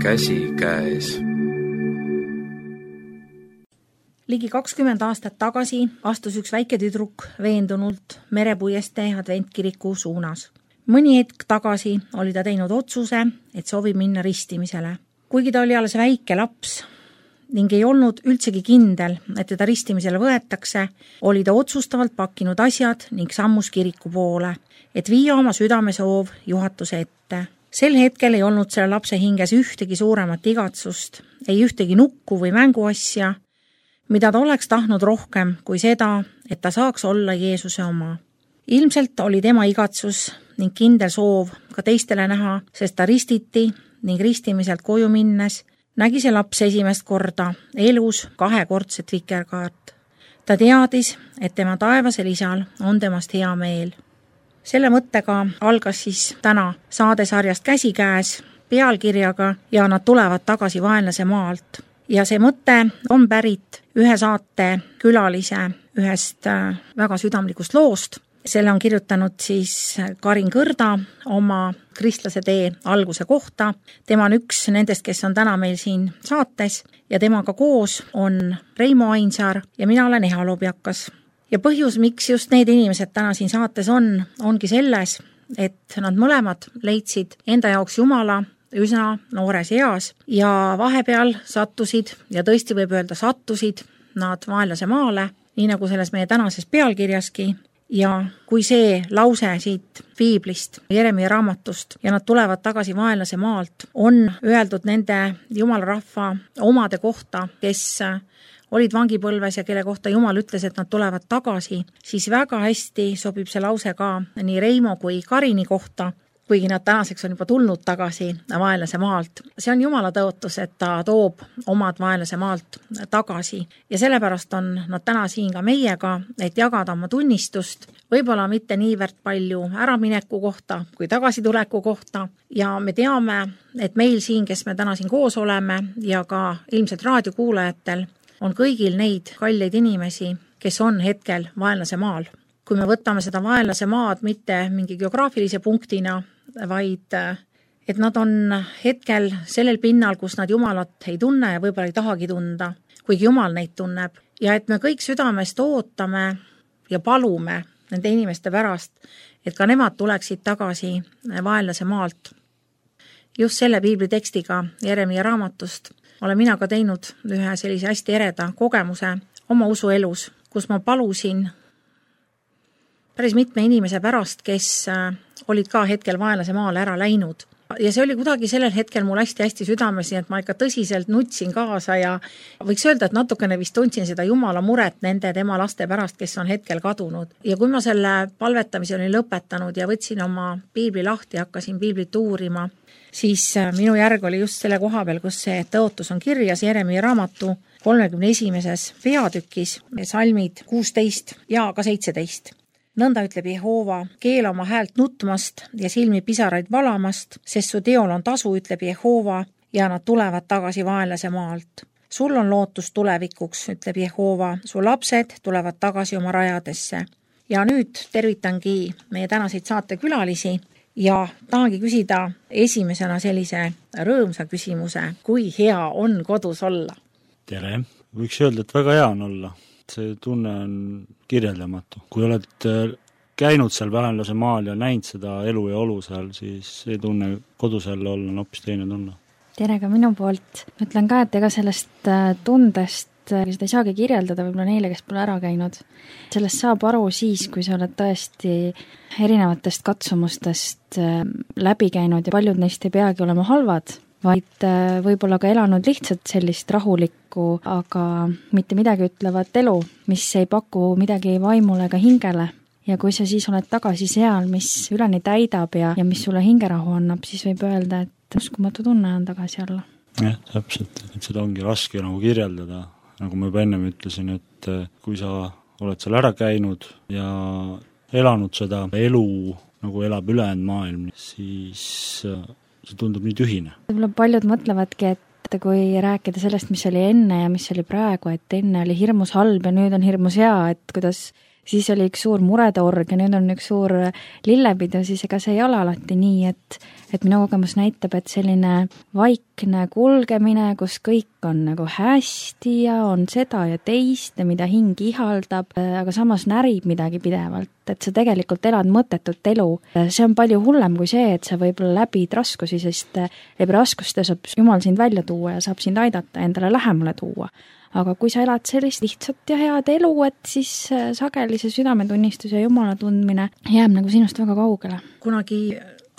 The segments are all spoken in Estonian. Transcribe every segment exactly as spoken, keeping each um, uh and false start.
käsikäes. Ligi kakskümmend aastat tagasi astus üks väike tüdruk veendunult Merepuiestee adventkiriku suunas. Mõni hetk tagasi oli ta teinud otsuse, et soovib minna ristimisele. Kuigi ta oli alles väike laps ning ei olnud üldsegi kindel, et teda ristimisele võetakse, oli ta otsustavalt pakkinud asjad ning sammus kiriku poole, et viia oma südamesoov juhatuse ette. Sel hetkel ei olnud selle lapse hinges ühtegi suuremat igatsust, ei ühtegi nukku või mänguasja, mida ta oleks tahtnud rohkem kui seda, et ta saaks olla Jeesuse oma. Ilmselt oli tema igatsus ning kindel soov ka teistele näha, sest ta ristiti ning ristimiselt koju minnes nägi see laps esimest korda elus kahekordset vikerkaart. Ta teadis, et tema taevasel isal on temast hea meel. Selle mõttega algas siis täna saadesarjast Käsikäes pealkirjaga ja nad tulevad tagasi vaenlase maalt. Ja see mõte on pärit ühe saate külalise ühest väga südamlikust loost. Selle on kirjutanud siis Karin Kõrda oma Kristlase tee alguse kohta. Tema on üks nendest, kes on täna meil siin saates ja temaga koos on Reimo Ainsaar ja mina olen Eha Lobjakas. Ja põhjus, miks just need inimesed täna siin saates on, ongi selles, et nad mõlemad leidsid enda jaoks Jumala üsna noores eas ja vahepeal sattusid ja tõesti võib öelda sattusid nad vaenlase maale, nii nagu selles meie tänases pealkirjaski. Ja kui see lause siit Piiblist, Jeremia raamatust ja nad tulevad tagasi vaenlase maalt, on öeldud nende Jumala rahva omade kohta, kes olid vangipõlves ja kelle kohta Jumal ütles, et nad tulevad tagasi, siis väga hästi sobib see lause ka nii Reimo kui Karini kohta, kuigi nad tänaseks on juba tulnud tagasi vaenlase maalt. See on Jumala tõotus, et ta toob omad vaenlase maalt tagasi ja sellepärast on nad täna siin ka meiega, et jagada oma tunnistust, võib-olla mitte niivõrd palju äramineku kohta kui tagasituleku kohta ja me teame, et meil siin, kes me täna siin koos oleme ja ka ilmselt raadiokuulajatel on kõigil neid kalleid inimesi, kes on hetkel vaenlase maal. Kui me võtame seda vaenlase maad mitte mingi geograafilise punktina, vaid et nad on hetkel sellel pinnal, kus nad Jumalat ei tunne ja võib-olla ei tahagi tunda, kuigi Jumal neid tunneb. Ja et me kõik südamest ootame ja palume nende inimeste pärast, et ka nemad tuleksid tagasi vaenlase maalt. Just selle piibli tekstiga Jeremia raamatust olen mina ka teinud ühe sellise hästi ereda kogemuse oma usuelus, kus ma palusin päris mitme inimese pärast, kes olid ka hetkel vaenlase maale ära läinud. Ja see oli kuidagi sellel hetkel mul hästi-hästi südames, et ma ikka tõsiselt nutsin kaasa ja võiks öelda, et natukene vist tundsin seda Jumala muret nende tema laste pärast, kes on hetkel kadunud. Ja kui ma selle palvetamise olin lõpetanud ja võtsin oma piibli lahti ja hakkasin piiblit uurima, siis minu järg oli just selle koha peal, kus see tõotus on kirjas Jeremia raamatu kolmekümne esimeses peatükis, salmid kuusteist ja ka seitseteist. Nõnda ütleb Jehova, keela oma häält nutmast ja silmi pisaraid valamast, sest su teol on tasu, ütleb Jehova, ja nad tulevad tagasi vaenlase maalt. Sul on lootus tulevikuks, ütleb Jehova, su lapsed tulevad tagasi oma rajadesse. Ja nüüd tervitangi meie tänaseid saatekülalisi ja tahangi küsida esimesena sellise rõõmsa küsimuse, kui hea on kodus olla? Tere! Võiks öelda, et väga hea on olla. See tunne on kirjeldamatu. Kui oled käinud seal vaenlase maal ja näinud seda elu ja olu seal, siis see tunne kodus jälle olla on hoopis teine tunne. Tere ka minu poolt. Ütlen ka, et ega sellest tundest seda ei saagi kirjeldada võib-olla neile, kes pole ära käinud. Sellest saab aru siis, kui sa oled tõesti erinevatest katsumustest läbi käinud ja paljud neist ei peagi olema halvad, vaid võib-olla ka elanud lihtsalt sellist rahulikku, aga mitte midagi ütlevat elu, mis ei paku midagi vaimule ega hingele. Ja kui sa siis oled tagasi seal, mis üleni täidab ja, ja mis sulle hingerahu annab, siis võib öelda, et uskumatu tunne on tagasi olla. Jah, täpselt, et seda ongi raske nagu kirjeldada. Nagu ma juba ennem ütlesin, et kui sa oled seal ära käinud ja elanud seda elu, nagu elab ülejäänud maailm, siis see tundub nii tühine. Võib-olla paljud mõtlevadki, et kui rääkida sellest, mis oli enne ja mis oli praegu, et enne oli hirmus halb ja nüüd on hirmus hea, et kuidas siis oli üks suur muretorg ja nüüd on üks suur lillepidu, siis ega see ei ole alati nii, et, et minu kogemus näitab, et selline vaikne kulgemine, kus kõik on nagu hästi ja on seda ja teist ja mida hing ihaldab, aga samas närib midagi pidevalt, et sa tegelikult elad mõttetut elu. See on palju hullem kui see, et sa võib-olla läbid raskusi, sest läbi raskuste saab Jumal sind välja tuua ja saab sind aidata endale lähemale tuua. Aga kui sa elad sellist lihtsat ja head elu, et siis sageli see südametunnistus ja Jumala tundmine jääb nagu sinust väga kaugele. Kunagi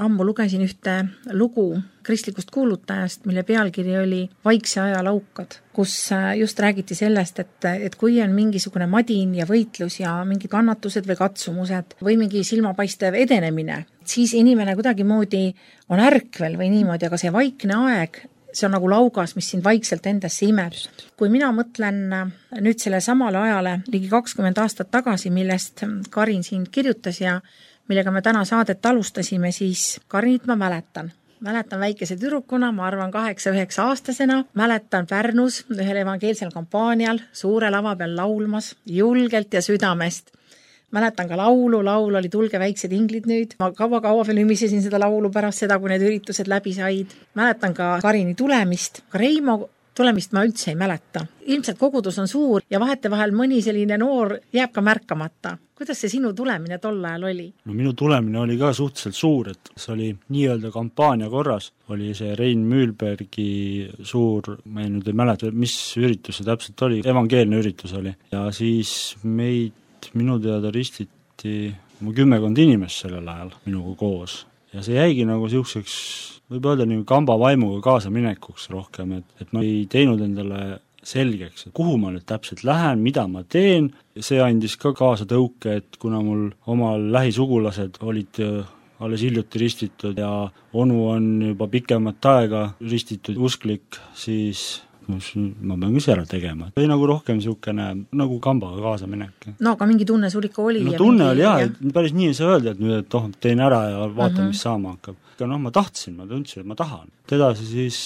ammu lugesin ühte lugu kristlikust kuulutajast, mille pealkiri oli Vaikse aja laukad, kus just räägiti sellest, et, et kui on mingisugune madin ja võitlus ja mingid kannatused või katsumused või mingi silmapaistev edenemine, siis inimene kuidagi moodi on ärkvel või niimoodi, aga see vaikne aeg, see on nagu laugas, mis sind vaikselt endasse imeb. Kui mina mõtlen nüüd selle samale ajale ligi kakskümmend aastat tagasi, millest Karin siin kirjutas ja millega me täna saadet alustasime, siis Karinit ma mäletan. Mäletan väikese tüdrukuna, ma arvan kaheksa-üheksa aastasena, mäletan Pärnus ühel evangeelsel kampaanial suure lava peal laulmas julgelt ja südamest. Mäletan ka laulu, laul oli Tulge väiksed inglid nüüd. Ma kaua-kaua veel ümisesin seda laulu pärast seda, kui need üritused läbi said. Mäletan ka Karini tulemist. Ka Reimo tulemist ma üldse ei mäleta. Ilmselt kogudus on suur ja vahete vahel mõni selline noor jääb ka märkamata. Kuidas see sinu tulemine tol ajal oli? No minu tulemine oli ka suhteliselt suur, et see oli nii-öelda kampaania korras. Oli see Rein Müülbergi suur, ma ei nüüd ei mäleta, mis üritus see täpselt oli, evangeelne üritus oli. Ja siis meid minu teada ristiti mu kümmekond inimest sellel ajal minuga koos. Ja see jäigi nagu siukseks, võib öelda nii kamba vaimuga kaasa minekuks rohkem, et, et ma ei teinud endale selgeks, et kuhu ma nüüd täpselt lähen, mida ma teen. See andis ka kaasa tõuke, et kuna mul omal lähisugulased olid alles hiljuti ristitud ja onu on juba pikemat aega ristitud usklik, siis ma pean küll ära tegema. Või nagu rohkem siukene nagu kambaga kaasa minek. No aga mingi tunne sul ikka oli? No tunne oli jah, et päris nii ei saa öelda, et nüüd et oh, teen ära ja vaatan, uh -huh. mis saama hakkab. Aga noh, ma tahtsin, ma tundsin, et ma tahan. Edasi siis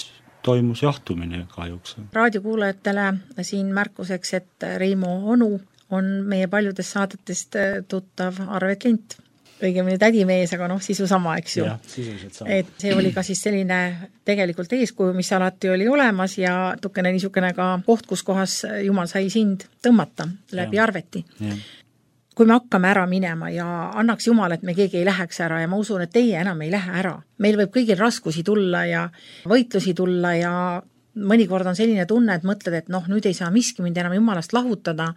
toimus jahtumine kahjuks. Raadiokuulajatele siin märkuseks, et Reimo onu on meie paljudest saadetest tuttav Arve Klint. Õigemini tädimees, aga noh, sisu sama, eks ju. Ja, sisuliselt sama. Et see oli ka siis selline tegelikult eeskuju, mis alati oli olemas ja tukene niisugune ka koht, kus kohas Jumal sai sind tõmmata läbi ja. Arveti. Ja. Kui me hakkame ära minema ja annaks Jumal, et me keegi ei läheks ära ja ma usun, et teie enam ei lähe ära. Meil võib kõigil raskusi tulla ja võitlusi tulla ja mõnikord on selline tunne, et mõtled, et noh, nüüd ei saa miski mind enam Jumalast lahutada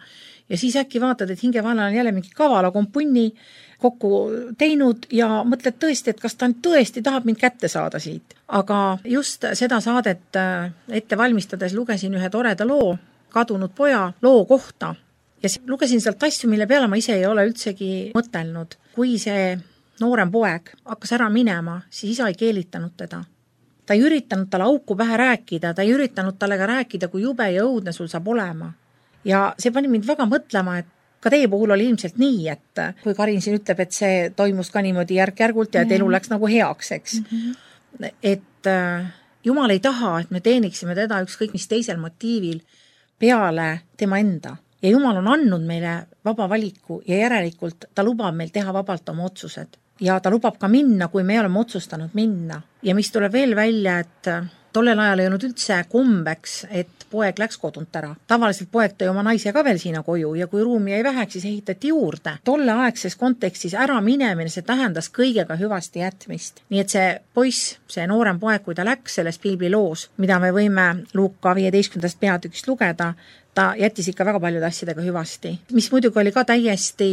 ja siis äkki vaatad, et hingevalal on jälle mingi kavala kompunni kokku teinud ja mõtled tõesti, et kas ta tõesti tahab mind kätte saada siit. Aga just seda saadet ette valmistades lugesin ühe toreda loo, kadunud poja loo kohta ja lugesin sealt asju, mille peale ma ise ei ole üldsegi mõtelnud. Kui see noorem poeg hakkas ära minema, siis isa ei keelitanud teda. Ta ei üritanud talle auku pähe rääkida, ta ei üritanud talle ka rääkida, kui jube ja õudne sul saab olema. Ja see pani mind väga mõtlema, et ka teie puhul oli ilmselt nii, et kui Karin siin ütleb, et see toimus ka niimoodi järk-järgult ja et elu läks nagu heaks, eks. Mm-hmm. Et Jumal ei taha, et me teeniksime teda ükskõik mis teisel motiivil peale tema enda. Ja Jumal on andnud meile vaba valiku ja järelikult ta lubab meil teha vabalt oma otsused. Ja ta lubab ka minna, kui me oleme otsustanud minna. Ja mis tuleb veel välja, et tollel ajal ei olnud üldse kombeks, et poeg läks kodunt ära. Tavaliselt poeg tõi oma naise ka veel sinna koju ja kui ruumi jäi väheks, siis ehitati juurde. Tolle aegses kontekstis ära minemine, see tähendas kõigega hüvasti jätmist. Nii et see poiss, see noorem poeg, kui ta läks selles piibliloos, mida me võime Luuka viieteistkümnendast peatükist lugeda, ta jättis ikka väga paljude asjadega hüvasti. Mis muidugi oli ka täiesti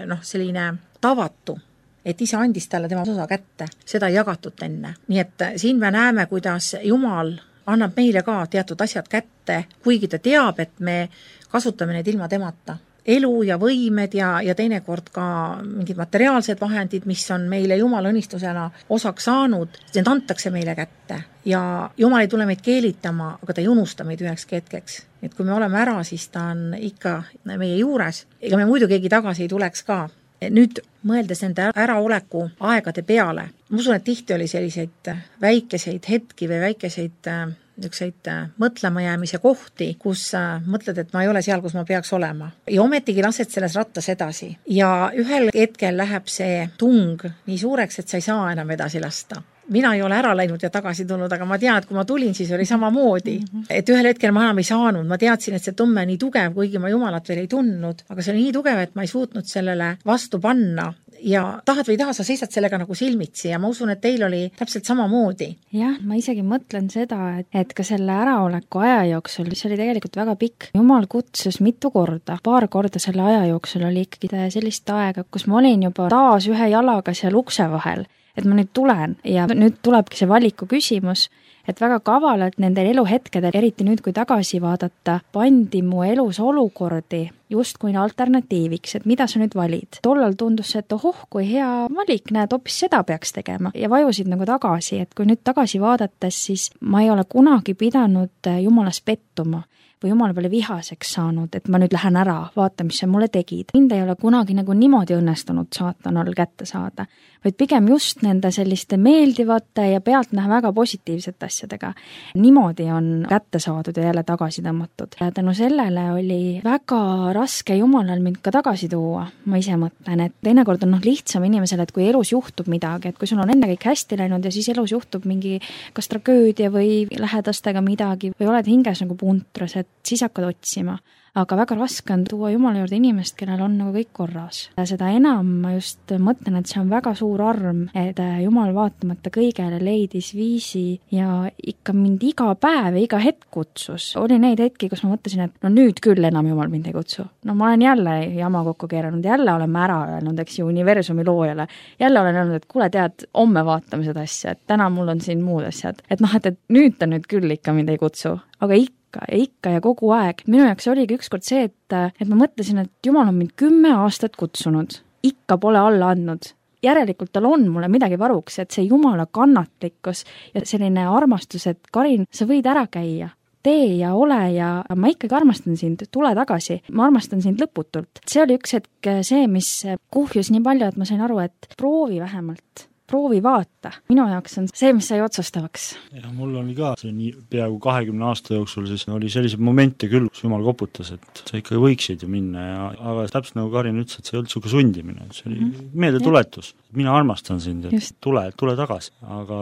noh, selline tavatu, et isa andis talle tema osa kätte, seda ei jagatud enne. Nii et siin me näeme, kuidas Jumal annab meile ka teatud asjad kätte, kuigi ta teab, et me kasutame need ilma temata. Elu ja võimed ja, ja teinekord ka mingid materiaalsed vahendid, mis on meile Jumala õnnistusena osaks saanud, need antakse meile kätte. Ja Jumal ei tule meid keelitama, aga ta ei unusta meid üheks hetkeks. Et kui me oleme ära, siis ta on ikka meie juures. Ega me muidu keegi tagasi ei tuleks ka. Nüüd mõeldes nende äraoleku aegade peale, ma usun, et tihti oli selliseid väikeseid hetki või väikeseid niisuguseid mõtlema jäämise kohti, kus mõtled, et ma ei ole seal, kus ma peaks olema. Ja ometigi lased selles rattas edasi. Ja ühel hetkel läheb see tung nii suureks, et sa ei saa enam edasi lasta. Mina ei ole ära läinud ja tagasi tulnud, aga ma tean, et kui ma tulin, siis oli samamoodi. Et ühel hetkel ma enam ei saanud, ma teadsin, et see tumme on nii tugev, kuigi ma Jumalat veel ei tundnud, aga see oli nii tugev, et ma ei suutnud sellele vastu panna. Ja tahad või ei taha, sa seisad sellega nagu silmitsi ja ma usun, et teil oli täpselt samamoodi. Jah, ma isegi mõtlen seda, et, et ka selle äraoleku aja jooksul, mis oli tegelikult väga pikk, Jumal kutsus mitu korda. Paar korda selle aja jooksul oli ikkagi sellist aega, kus ma olin juba taas ühe jalaga seal ukse vahel, et ma nüüd tulen ja nüüd tulebki see valiku küsimus, et väga kavalalt nendel eluhetkedel, eriti nüüd, kui tagasi vaadata, pandi mu elus olukordi justkui alternatiiviks, et mida sa nüüd valid. Tollal tundus see, et ohoh, kui hea valik, näed, hoopis seda peaks tegema ja vajusid nagu tagasi, et kui nüüd tagasi vaadates, siis ma ei ole kunagi pidanud Jumalas pettuma või Jumala peale vihaseks saanud, et ma nüüd lähen ära, vaata, mis sa mulle tegid. Mind ei ole kunagi nagu niimoodi õnnestunud saatanal kätte saada, vaid pigem just nende selliste meeldivate ja pealtnäha väga positiivsete asjadega. Niimoodi on kätte saadud ja jälle tagasi tõmmatud. Ja tänu sellele oli väga raske Jumalal mind ka tagasi tuua. Ma ise mõtlen, et teinekord on noh lihtsam inimesele, et kui elus juhtub midagi, et kui sul on enne kõik hästi läinud ja siis elus juhtub mingi kas tragöödia või lähedastega midagi või oled hinges nagu puntras, et siis hakkad otsima. Aga väga raske on tuua Jumala juurde inimest, kellel on nagu kõik korras. Seda enam ma just mõtlen, et see on väga suur arm, et Jumal vaatamata kõigele leidis viisi ja ikka mind iga päev ja iga hetk kutsus. Oli neid hetki, kus ma mõtlesin, et no nüüd küll enam Jumal mind ei kutsu. No ma olen jälle jama kokku keeranud, jälle olen ma ära öelnud, eks ju, universumi loojale. Jälle olen öelnud, et kuule tead, homme vaatame seda asja, et täna mul on siin muud asjad. Et noh, et, et nüüd ta nüüd küll ikka mind ei kutsu, aga ikka ja ikka ja kogu aeg. Minu jaoks oligi ükskord see, et, et ma mõtlesin, et Jumal on mind kümme aastat kutsunud. Ikka pole alla andnud. Järelikult tal on mulle midagi varuks, et see Jumala kannatlikkus ja selline armastus, et Karin, sa võid ära käia. Tee ja ole ja ma ikkagi armastan sind, tule tagasi. Ma armastan sind lõputult. See oli üks hetk see, mis kuhjus nii palju, et ma sain aru, et proovi vähemalt. Proovi vaata. Minu jaoks on see, mis sai otsustavaks. Ja mul oli ka see nii peaaegu kahekümne aasta jooksul, siis oli selliseid momente küll, kus Jumal koputas, et sa ikka võiksid ju minna, ja, aga täpselt nagu Karin ütles, et see ei olnud suke sundimine, see oli mm-hmm. meeldetuletus. Mina armastan sind, et Just. tule, tule tagasi. Aga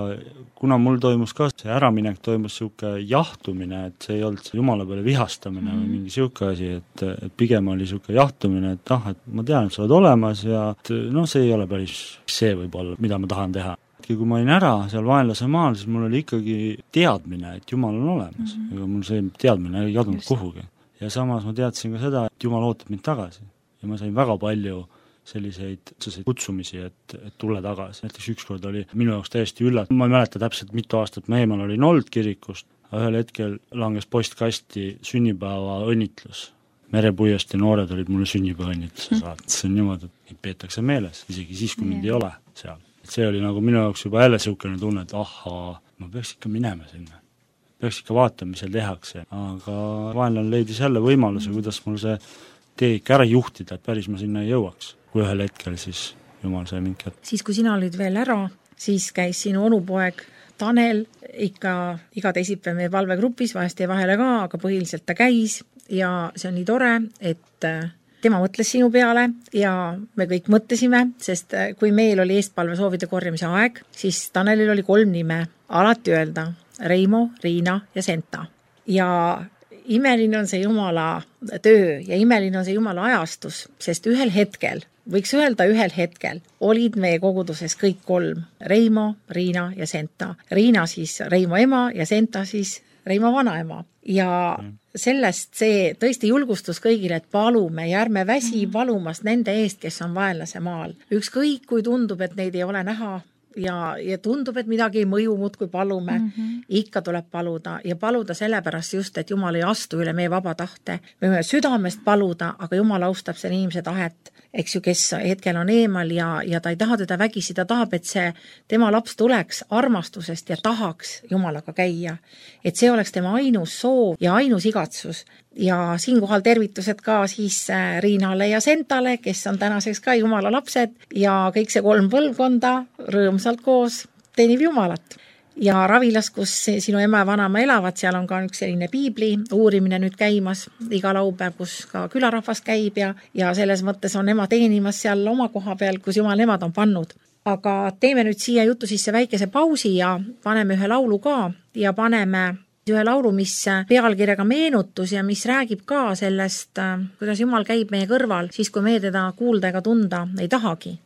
kuna mul toimus ka see äraminek, toimus suke jahtumine, et see ei olnud see Jumala peale vihastamine mm-hmm. või mingi suke asi, et, et pigem oli suke jahtumine, et ah, et ma tean, et sa oled olemas ja et, no see ei ole päris see võib-olla, mida ma tahan teha. Kui ma olin ära seal vaenlase maal, siis mul oli ikkagi teadmine, et Jumal on olemas. Mm-hmm. Ega mul see teadmine ei kadunud kuhugi. Ja samas ma teadsin ka seda, et Jumal ootab mind tagasi. Ja ma sain väga palju selliseid kutsumisi, et, et tule tagasi. Näiteks ükskord oli minu jaoks täiesti üllat. Ma ei mäleta täpselt mitu aastat ma eemal olin olnud kirikust, aga ühel hetkel langes postkasti sünnipäeva õnnitlus. Merepuiesti noored olid mulle sünnipäeva õnnitluse saanud. See on niimoodi, et neid peetakse meeles, isegi siis, kui mind ei ole seal. See oli nagu minu jaoks juba jälle siukene tunne, et ahaa, ma peaks ikka minema sinna. Peaks ikka vaatama, mis seal tehakse. Aga vaenlane leidis jälle võimaluse, kuidas mul see tee ikka ära juhtida, et päris ma sinna ei jõuaks. Kui ühel hetkel siis Jumal sai mind kätte. Siis, kui sina olid veel ära, siis käis sinu onupoeg Tanel ikka iga teisipäev meie valvegrupis, vahest ei vahele ka, aga põhiliselt ta käis ja see on nii tore, et tema mõtles sinu peale ja me kõik mõtlesime, sest kui meil oli eestpalve soovide korjamise aeg, siis Tanelil oli kolm nime. Alati öelda Reimo, Riina ja Senta. Ja imeline on see Jumala töö ja imeline on see Jumala ajastus, sest ühel hetkel, võiks öelda ühel hetkel, olid meie koguduses kõik kolm. Reimo, Riina ja Senta. Riina siis Reimo ema ja Senta siis Reimo vanaema. Ja sellest see tõesti julgustus kõigile, et palume ja ärme väsi palumast nende eest, kes on vaenlase maal. Ükskõik, kui tundub, et neid ei ole näha ja, ja tundub, et midagi ei mõju muud, kui palume, mm-hmm. ikka tuleb paluda ja paluda sellepärast just, et Jumal ei astu üle meie vaba tahte. Me võime südamest paluda, aga Jumal austab selle inimese tahet, eks ju, kes hetkel on eemal ja, ja ta ei taha teda vägisi, ta tahab, et see tema laps tuleks armastusest ja tahaks Jumalaga käia. Et see oleks tema ainus soov ja ainus igatsus. Ja siinkohal tervitused ka siis Riinale ja Sentale, kes on tänaseks ka Jumala lapsed ja kõik see kolm põlvkonda rõõmsalt koos teenib Jumalat. ja Ravilas, kus sinu ema ja vanaema elavad, seal on ka üks selline piibli uurimine nüüd käimas iga laupäev, kus ka külarahvas käib ja, ja selles mõttes on ema teenimas seal oma koha peal, kus jumal nemad on pannud. Aga teeme nüüd siia jutu sisse väikese pausi ja paneme ühe laulu ka ja paneme ühe laulu, mis pealkirjaga meenutus ja mis räägib ka sellest, kuidas jumal käib meie kõrval, siis kui me teda kuulda ega tunda ei tahagi.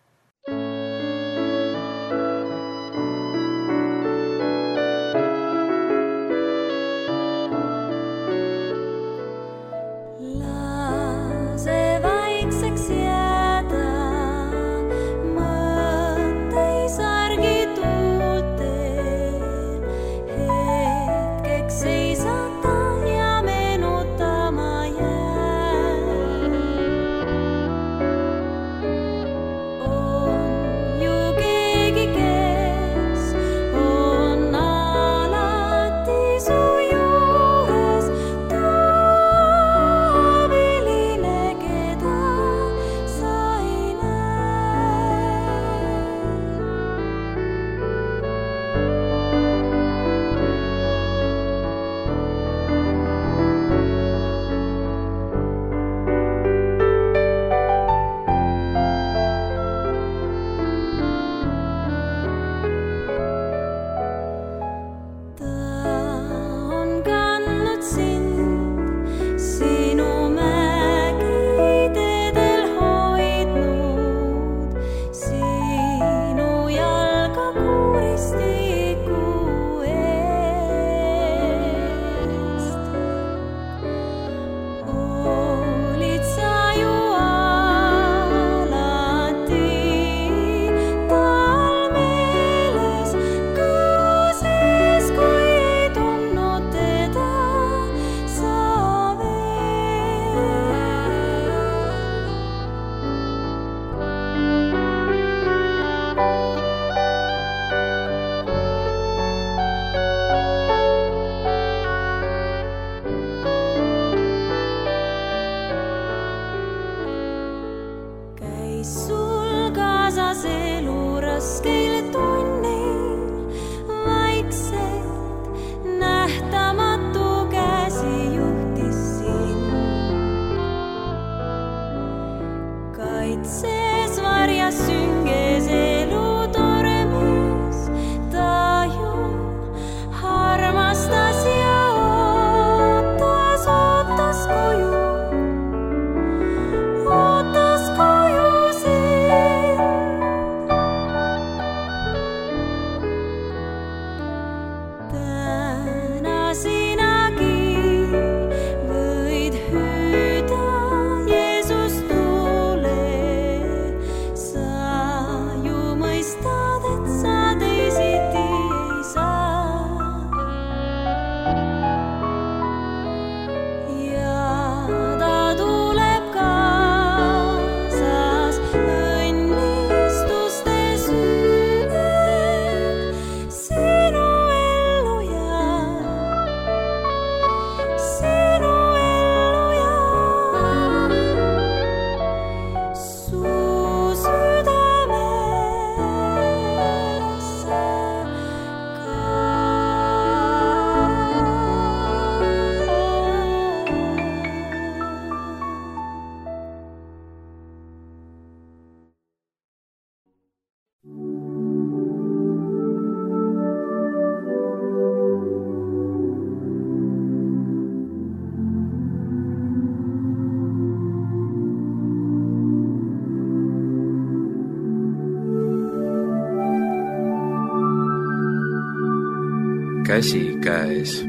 Käsikäes.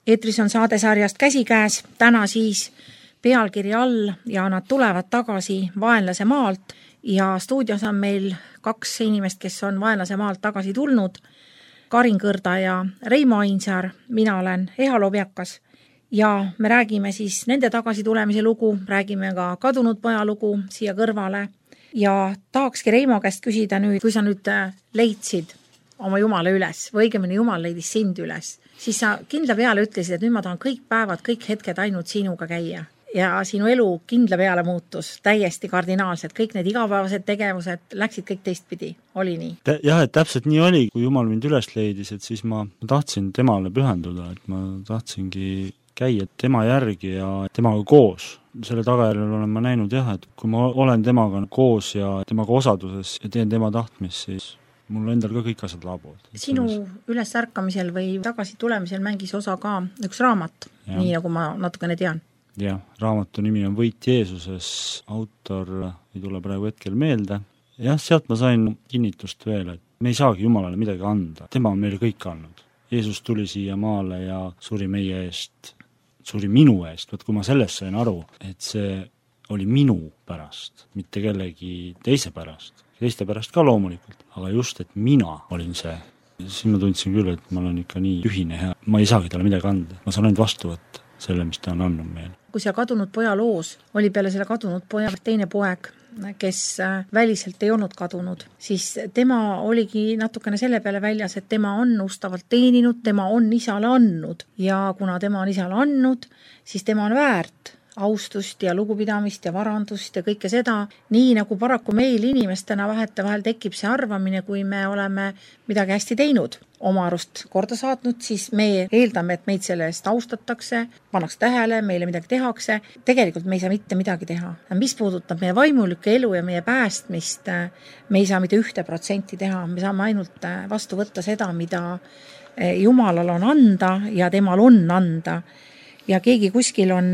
Eetris on saadesarjast Käsikäes, täna siis pealkiri all ja nad tulevad tagasi vaenlase maalt ja stuudios on meil kaks inimest, kes on vaenlase maalt tagasi tulnud. Karin Kõrda ja Reimo Ainsaar, mina olen Eha Lobjakas ja me räägime siis nende tagasi tulemise lugu, räägime ka kadunud poja lugu siia kõrvale ja tahakski Reimo käest küsida nüüd, kui sa nüüd leidsid oma Jumala üles või õigemini Jumal leidis sind üles, siis sa kindla peale ütlesid, et nüüd ma tahan kõik päevad, kõik hetked ainult sinuga käia. ja sinu elu kindla peale muutus täiesti kardinaalselt, kõik need igapäevased tegevused läksid kõik teistpidi, oli nii? Jah, et täpselt nii oli, kui Jumal mind üles leidis, et siis ma tahtsin temale pühenduda, et ma tahtsingi käia tema järgi ja temaga koos. Selle tagajärjel olen ma näinud jah, et kui ma olen temaga koos ja temaga osaduses ja teen tema tahtmist, siis mul endal ka kõik asjad laabuvad. Sinu ülesärkamisel või tagasi tulemisel mängis osa ka üks raamat, ja. Nii nagu ma natukene tean. Jah, raamatu nimi on Võit Jeesuses, autor ei tule praegu hetkel meelde. Jah, sealt ma sain kinnitust veel, et me ei saagi Jumalale midagi anda, tema on meile kõik andnud. Jeesus tuli siia maale ja suri meie eest, suri minu eest, võt kui ma sellest sain aru, et see oli minu pärast, mitte kellegi teise pärast, teiste pärast ka loomulikult, aga just, et mina olin see. Siis ma tundsin küll, et ma olen ikka nii ühine ja ma ei saagi talle midagi anda, ma saan ainult vastu võtta selle, mis ta on andnud meile. Kui seal kadunud poja loos oli peale selle kadunud poja teine poeg, kes väliselt ei olnud kadunud, siis tema oligi natukene selle peale väljas, et tema on ustavalt teeninud, tema on isale andnud ja kuna tema on isale andnud, siis tema on väärt austust ja lugupidamist ja varandust ja kõike seda, nii nagu paraku meil inimestena vahetevahel tekib see arvamine, kui me oleme midagi hästi teinud, oma arust korda saatnud, siis me eeldame, et meid selle eest austatakse, pannakse tähele, meile midagi tehakse. Tegelikult me ei saa mitte midagi teha. Mis puudutab meie vaimulikku elu ja meie päästmist, me ei saa mitte ühte protsenti teha, me saame ainult vastu võtta seda, mida Jumalal on anda ja temal on anda. Ja keegi kuskil on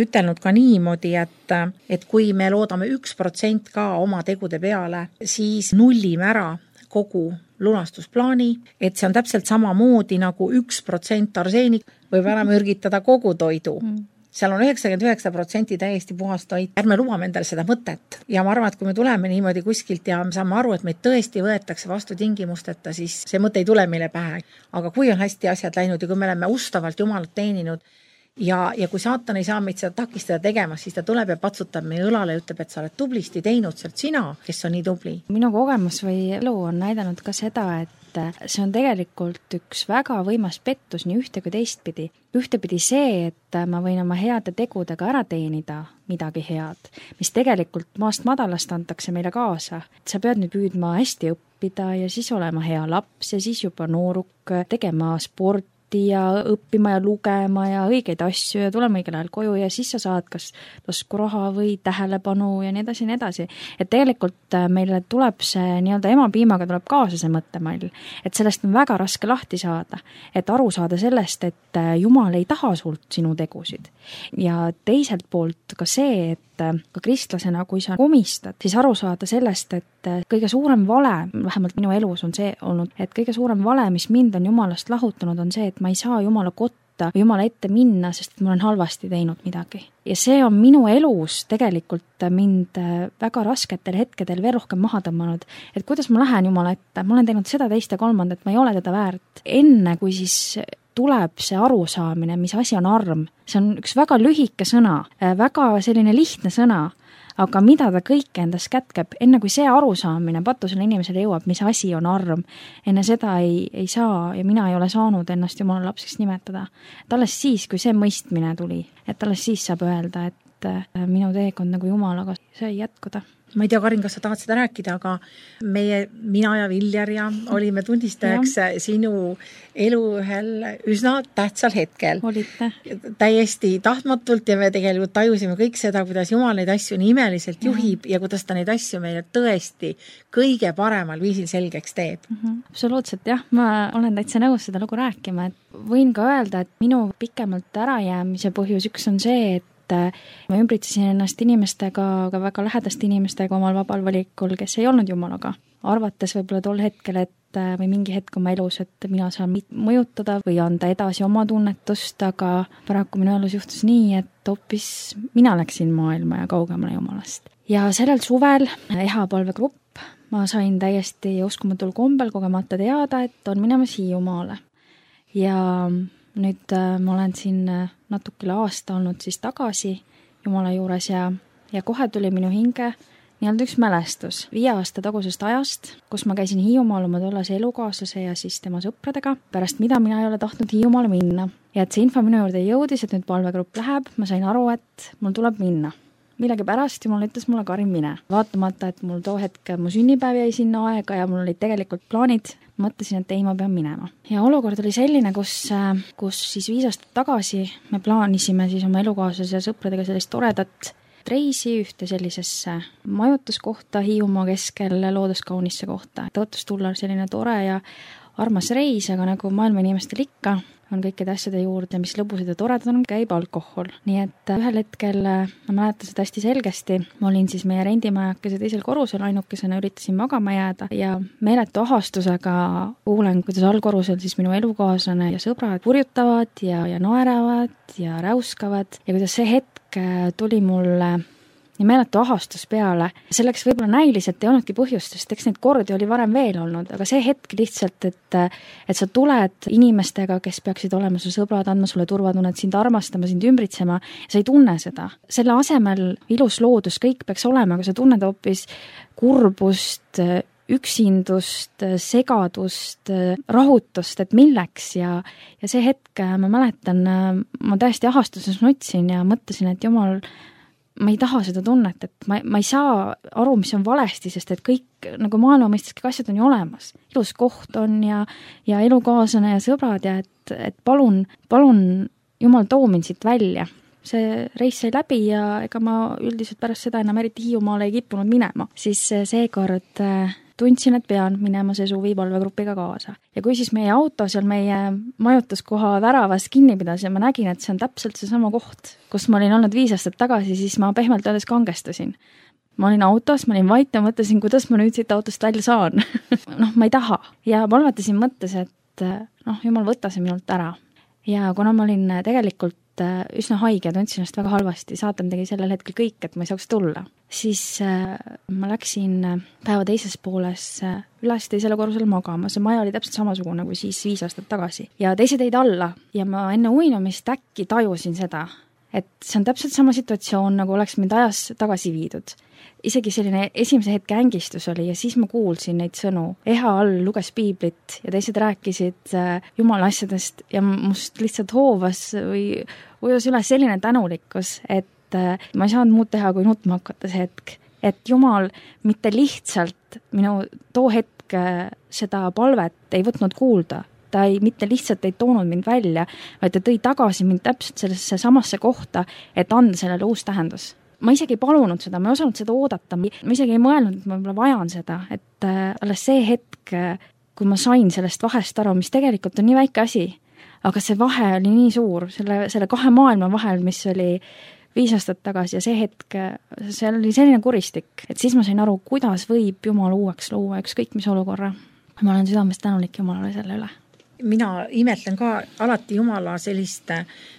ütelnud ka niimoodi, et, et kui me loodame üks protsent ka oma tegude peale, siis nullime ära kogu lunastusplaani, et see on täpselt sama moodi nagu üks protsent arseenik võib ära mürgitada kogu toidu. Seal on üheksakümmend üheksa protsenti täiesti puhast toit. Ärme lubame endale seda mõtet. Ja ma arvan, et kui me tuleme niimoodi kuskilt ja me saame aru, et meid tõesti võetakse vastu tingimusteta, siis see mõte ei tule meile pähe. Aga kui on hästi asjad läinud ja kui me oleme ustavalt Jumalat teeninud, Ja, ja kui saatan ei saa meid seda takistada tegema, siis ta tuleb ja patsutab meie õlale ja ütleb, et sa oled tublisti teinud sealt sina, kes on nii tubli. Minu kogemus või elu on näidanud ka seda, et see on tegelikult üks väga võimas pettus nii ühte kui teistpidi. Ühtepidi see, et ma võin oma heade tegudega ära teenida midagi head, mis tegelikult maast madalast antakse meile kaasa. Sa pead nüüd püüdma hästi õppida ja siis olema hea laps ja siis juba nooruk, tegema sport ja õppima ja lugema ja õigeid asju ja tulema õigel ajal koju ja siis sa saad kas taskuraha või tähelepanu ja nii edasi ja nii edasi. Et tegelikult meile tuleb see nii-öelda emapiimaga tuleb kaasa see mõttemall, et sellest on väga raske lahti saada, et aru saada sellest, et Jumal ei taha sult sinu tegusid. Ja teiselt poolt ka see, et ka kristlasena, kui sa komistad, siis aru saada sellest, et kõige suurem vale, vähemalt minu elus on see olnud, et kõige suurem vale, mis mind on Jumalast lahutanud, on see, et ma ei saa Jumala kotta või Jumala ette minna, sest ma olen halvasti teinud midagi. Ja see on minu elus tegelikult mind väga rasketel hetkedel veel rohkem maha tõmmanud, et kuidas ma lähen Jumala ette, ma olen teinud seda teist ja kolmandat, ma ei ole teda väärt. Enne kui siis tuleb see arusaamine, mis asi on arm. See on üks väga lühike sõna, väga selline lihtne sõna, aga mida ta kõik endas kätkeb, enne kui see arusaamine patusele inimesele jõuab, mis asi on arm, enne seda ei, ei saa ja mina ei ole saanud ennast Jumala lapseks nimetada. Et alles siis, kui see mõistmine tuli, et alles siis saab öelda, et minu teekond nagu Jumalaga sai jätkuda. Ma ei tea, Karin, kas sa tahad seda rääkida, aga meie, mina ja Viljar ja olime tunnistajaks ja. Sinu elu ühel üsna tähtsal hetkel. Olite. Täiesti tahtmatult ja me tegelikult tajusime kõik seda, kuidas Jumal neid asju nii imeliselt juhib ja, ja kuidas ta neid asju meile tõesti kõige paremal viisil selgeks teeb. Mm-hmm. Absoluutselt, jah. Ma olen täitsa nõus seda lugu rääkima. Et võin ka öelda, et minu pikemalt ärajäämise põhjus üks on see, et ma ümbritsesin ennast inimestega, aga väga lähedaste inimestega omal vabal valikul, kes ei olnud Jumalaga. Arvates võib-olla tol hetkel, et või mingi hetk oma elus, et mina saan mõjutada või anda edasi oma tunnetust, aga paraku minu elus juhtus nii, et hoopis mina läksin maailma ja kaugemale Jumalast. Ja sellel suvel ehapalvegrupp ma sain täiesti uskumatul kombel kogemata teada, et on minemas Hiiumaale. Ja nüüd ma olen siin natukele aasta olnud siis tagasi Jumala juures ja, ja kohe tuli minu hinge nii-öelda üks mälestus viie aasta tagusest ajast, kus ma käisin Hiiumaal oma tollase elukaaslase ja siis tema sõpradega, pärast mida mina ei ole tahtnud Hiiumaale minna. Ja et see info minu juurde jõudis, et nüüd palvegrupp läheb, ma sain aru, et mul tuleb minna. Millegi pärast Jumal ütles mulle, Karin, mine. Vaatamata, et mul too hetk mu sünnipäev jäi sinna aega ja mul olid tegelikult plaanid, mõtlesin, et ei, ma pean minema. Ja olukord oli selline, kus, kus siis viis aastat tagasi me plaanisime siis oma elukaaslase ja sõpradega sellist toredat reisi ühte sellisesse majutuskohta Hiiumaa keskel looduskaunisse kohta. Tõotus tulla selline tore ja armas reis, aga nagu maailma inimestel ikka, on kõikide asjade juurde, mis lõbusad ja toredad on, käib alkohol. Nii et ühel hetkel, ma mäletan seda hästi selgesti, ma olin siis meie rendimajakese teisel korrusel, ainukesena üritasin magama jääda ja meeletu ahastusega kuulen, kuidas allkorrusel siis minu elukaaslane ja sõbrad purjutavad ja, ja naeravad ja räuskavad ja kuidas see hetk tuli mulle ja meeletu ahastus peale. Selleks võib-olla näiliselt ei olnudki põhjust, sest eks neid kordi oli varem veel olnud, aga see hetk lihtsalt, et, et sa tuled inimestega, kes peaksid olema su sõbrad, andma sulle turvatunnet, sind armastama, sind ümbritsema, sa ei tunne seda. Selle asemel ilus loodus, kõik peaks olema, aga sa tunned hoopis kurbust, üksindust, segadust, rahutust, et milleks ja, ja see hetk, ma mäletan, ma täiesti ahastuses nutsin ja mõtlesin, et Jumal, ma ei taha seda tunnet, et ma, ma ei saa aru, mis on valesti, sest et kõik nagu maailma mõisteski asjad on ju olemas. Ilus koht on ja, ja elukaaslane ja sõbrad ja et, et palun, palun Jumal too mind siit välja. See reis sai läbi ja ega ma üldiselt pärast seda enam eriti Hiiumaale ei kippunud minema. Siis seekord tundsin, et pean minema see suvi palvegrupiga kaasa. Ja kui siis meie auto seal meie majutuskoha väravas kinni pidas ja ma nägin, et see on täpselt see sama koht, kus ma olin olnud viis aastat tagasi, siis ma pehmelt öeldes kangestusin. Ma olin autos, ma olin vait ja mõtlesin, kuidas ma nüüd siit autost välja saan. noh, ma ei taha. Ja palvetasin mõttes, et noh, Jumal, võta see minult ära. Ja kuna ma olin tegelikult üsna haige ja tundsin ennast väga halvasti, saatan tegi sellel hetkel kõik, et ma ei saaks tulla. Siis äh, ma läksin päeva teises pooles äh, üles teisele korrusele magama. See maja oli täpselt samasugune kui siis viis aastat tagasi. Ja teised jäid alla ja ma enne uinumist äkki tajusin seda, et see on täpselt sama situatsioon, nagu oleks mind ajas tagasi viidud. Isegi selline esimese hetke ängistus oli ja siis ma kuulsin neid sõnu. Eha all luges piiblit ja teised rääkisid äh, Jumala asjadest ja must lihtsalt hoovas või ujus üles selline tänulikkus, et äh, ma ei saanud muud teha, kui nutma hakata see hetk. Et Jumal mitte lihtsalt minu too hetk äh, seda palvet ei võtnud kuulda, ta ei, mitte lihtsalt ei toonud mind välja, vaid ta tõi tagasi mind täpselt sellesse samasse kohta, et anda sellele uus tähendus. Ma isegi ei palunud seda, ma ei osanud seda oodata, ma isegi ei mõelnud, et ma võib-olla vajan seda, et äh, alles see hetk, kui ma sain sellest vahest aru, mis tegelikult on nii väike asi, aga see vahe oli nii suur, selle, selle kahe maailma vahel, mis oli viis aastat tagasi ja see hetk, see oli selline kuristik, et siis ma sain aru, kuidas võib Jumal uueks luua ükskõik mis olukorra. Ma olen südamest tänulik Jumalale selle üle. Mina imetlen ka alati Jumala sellist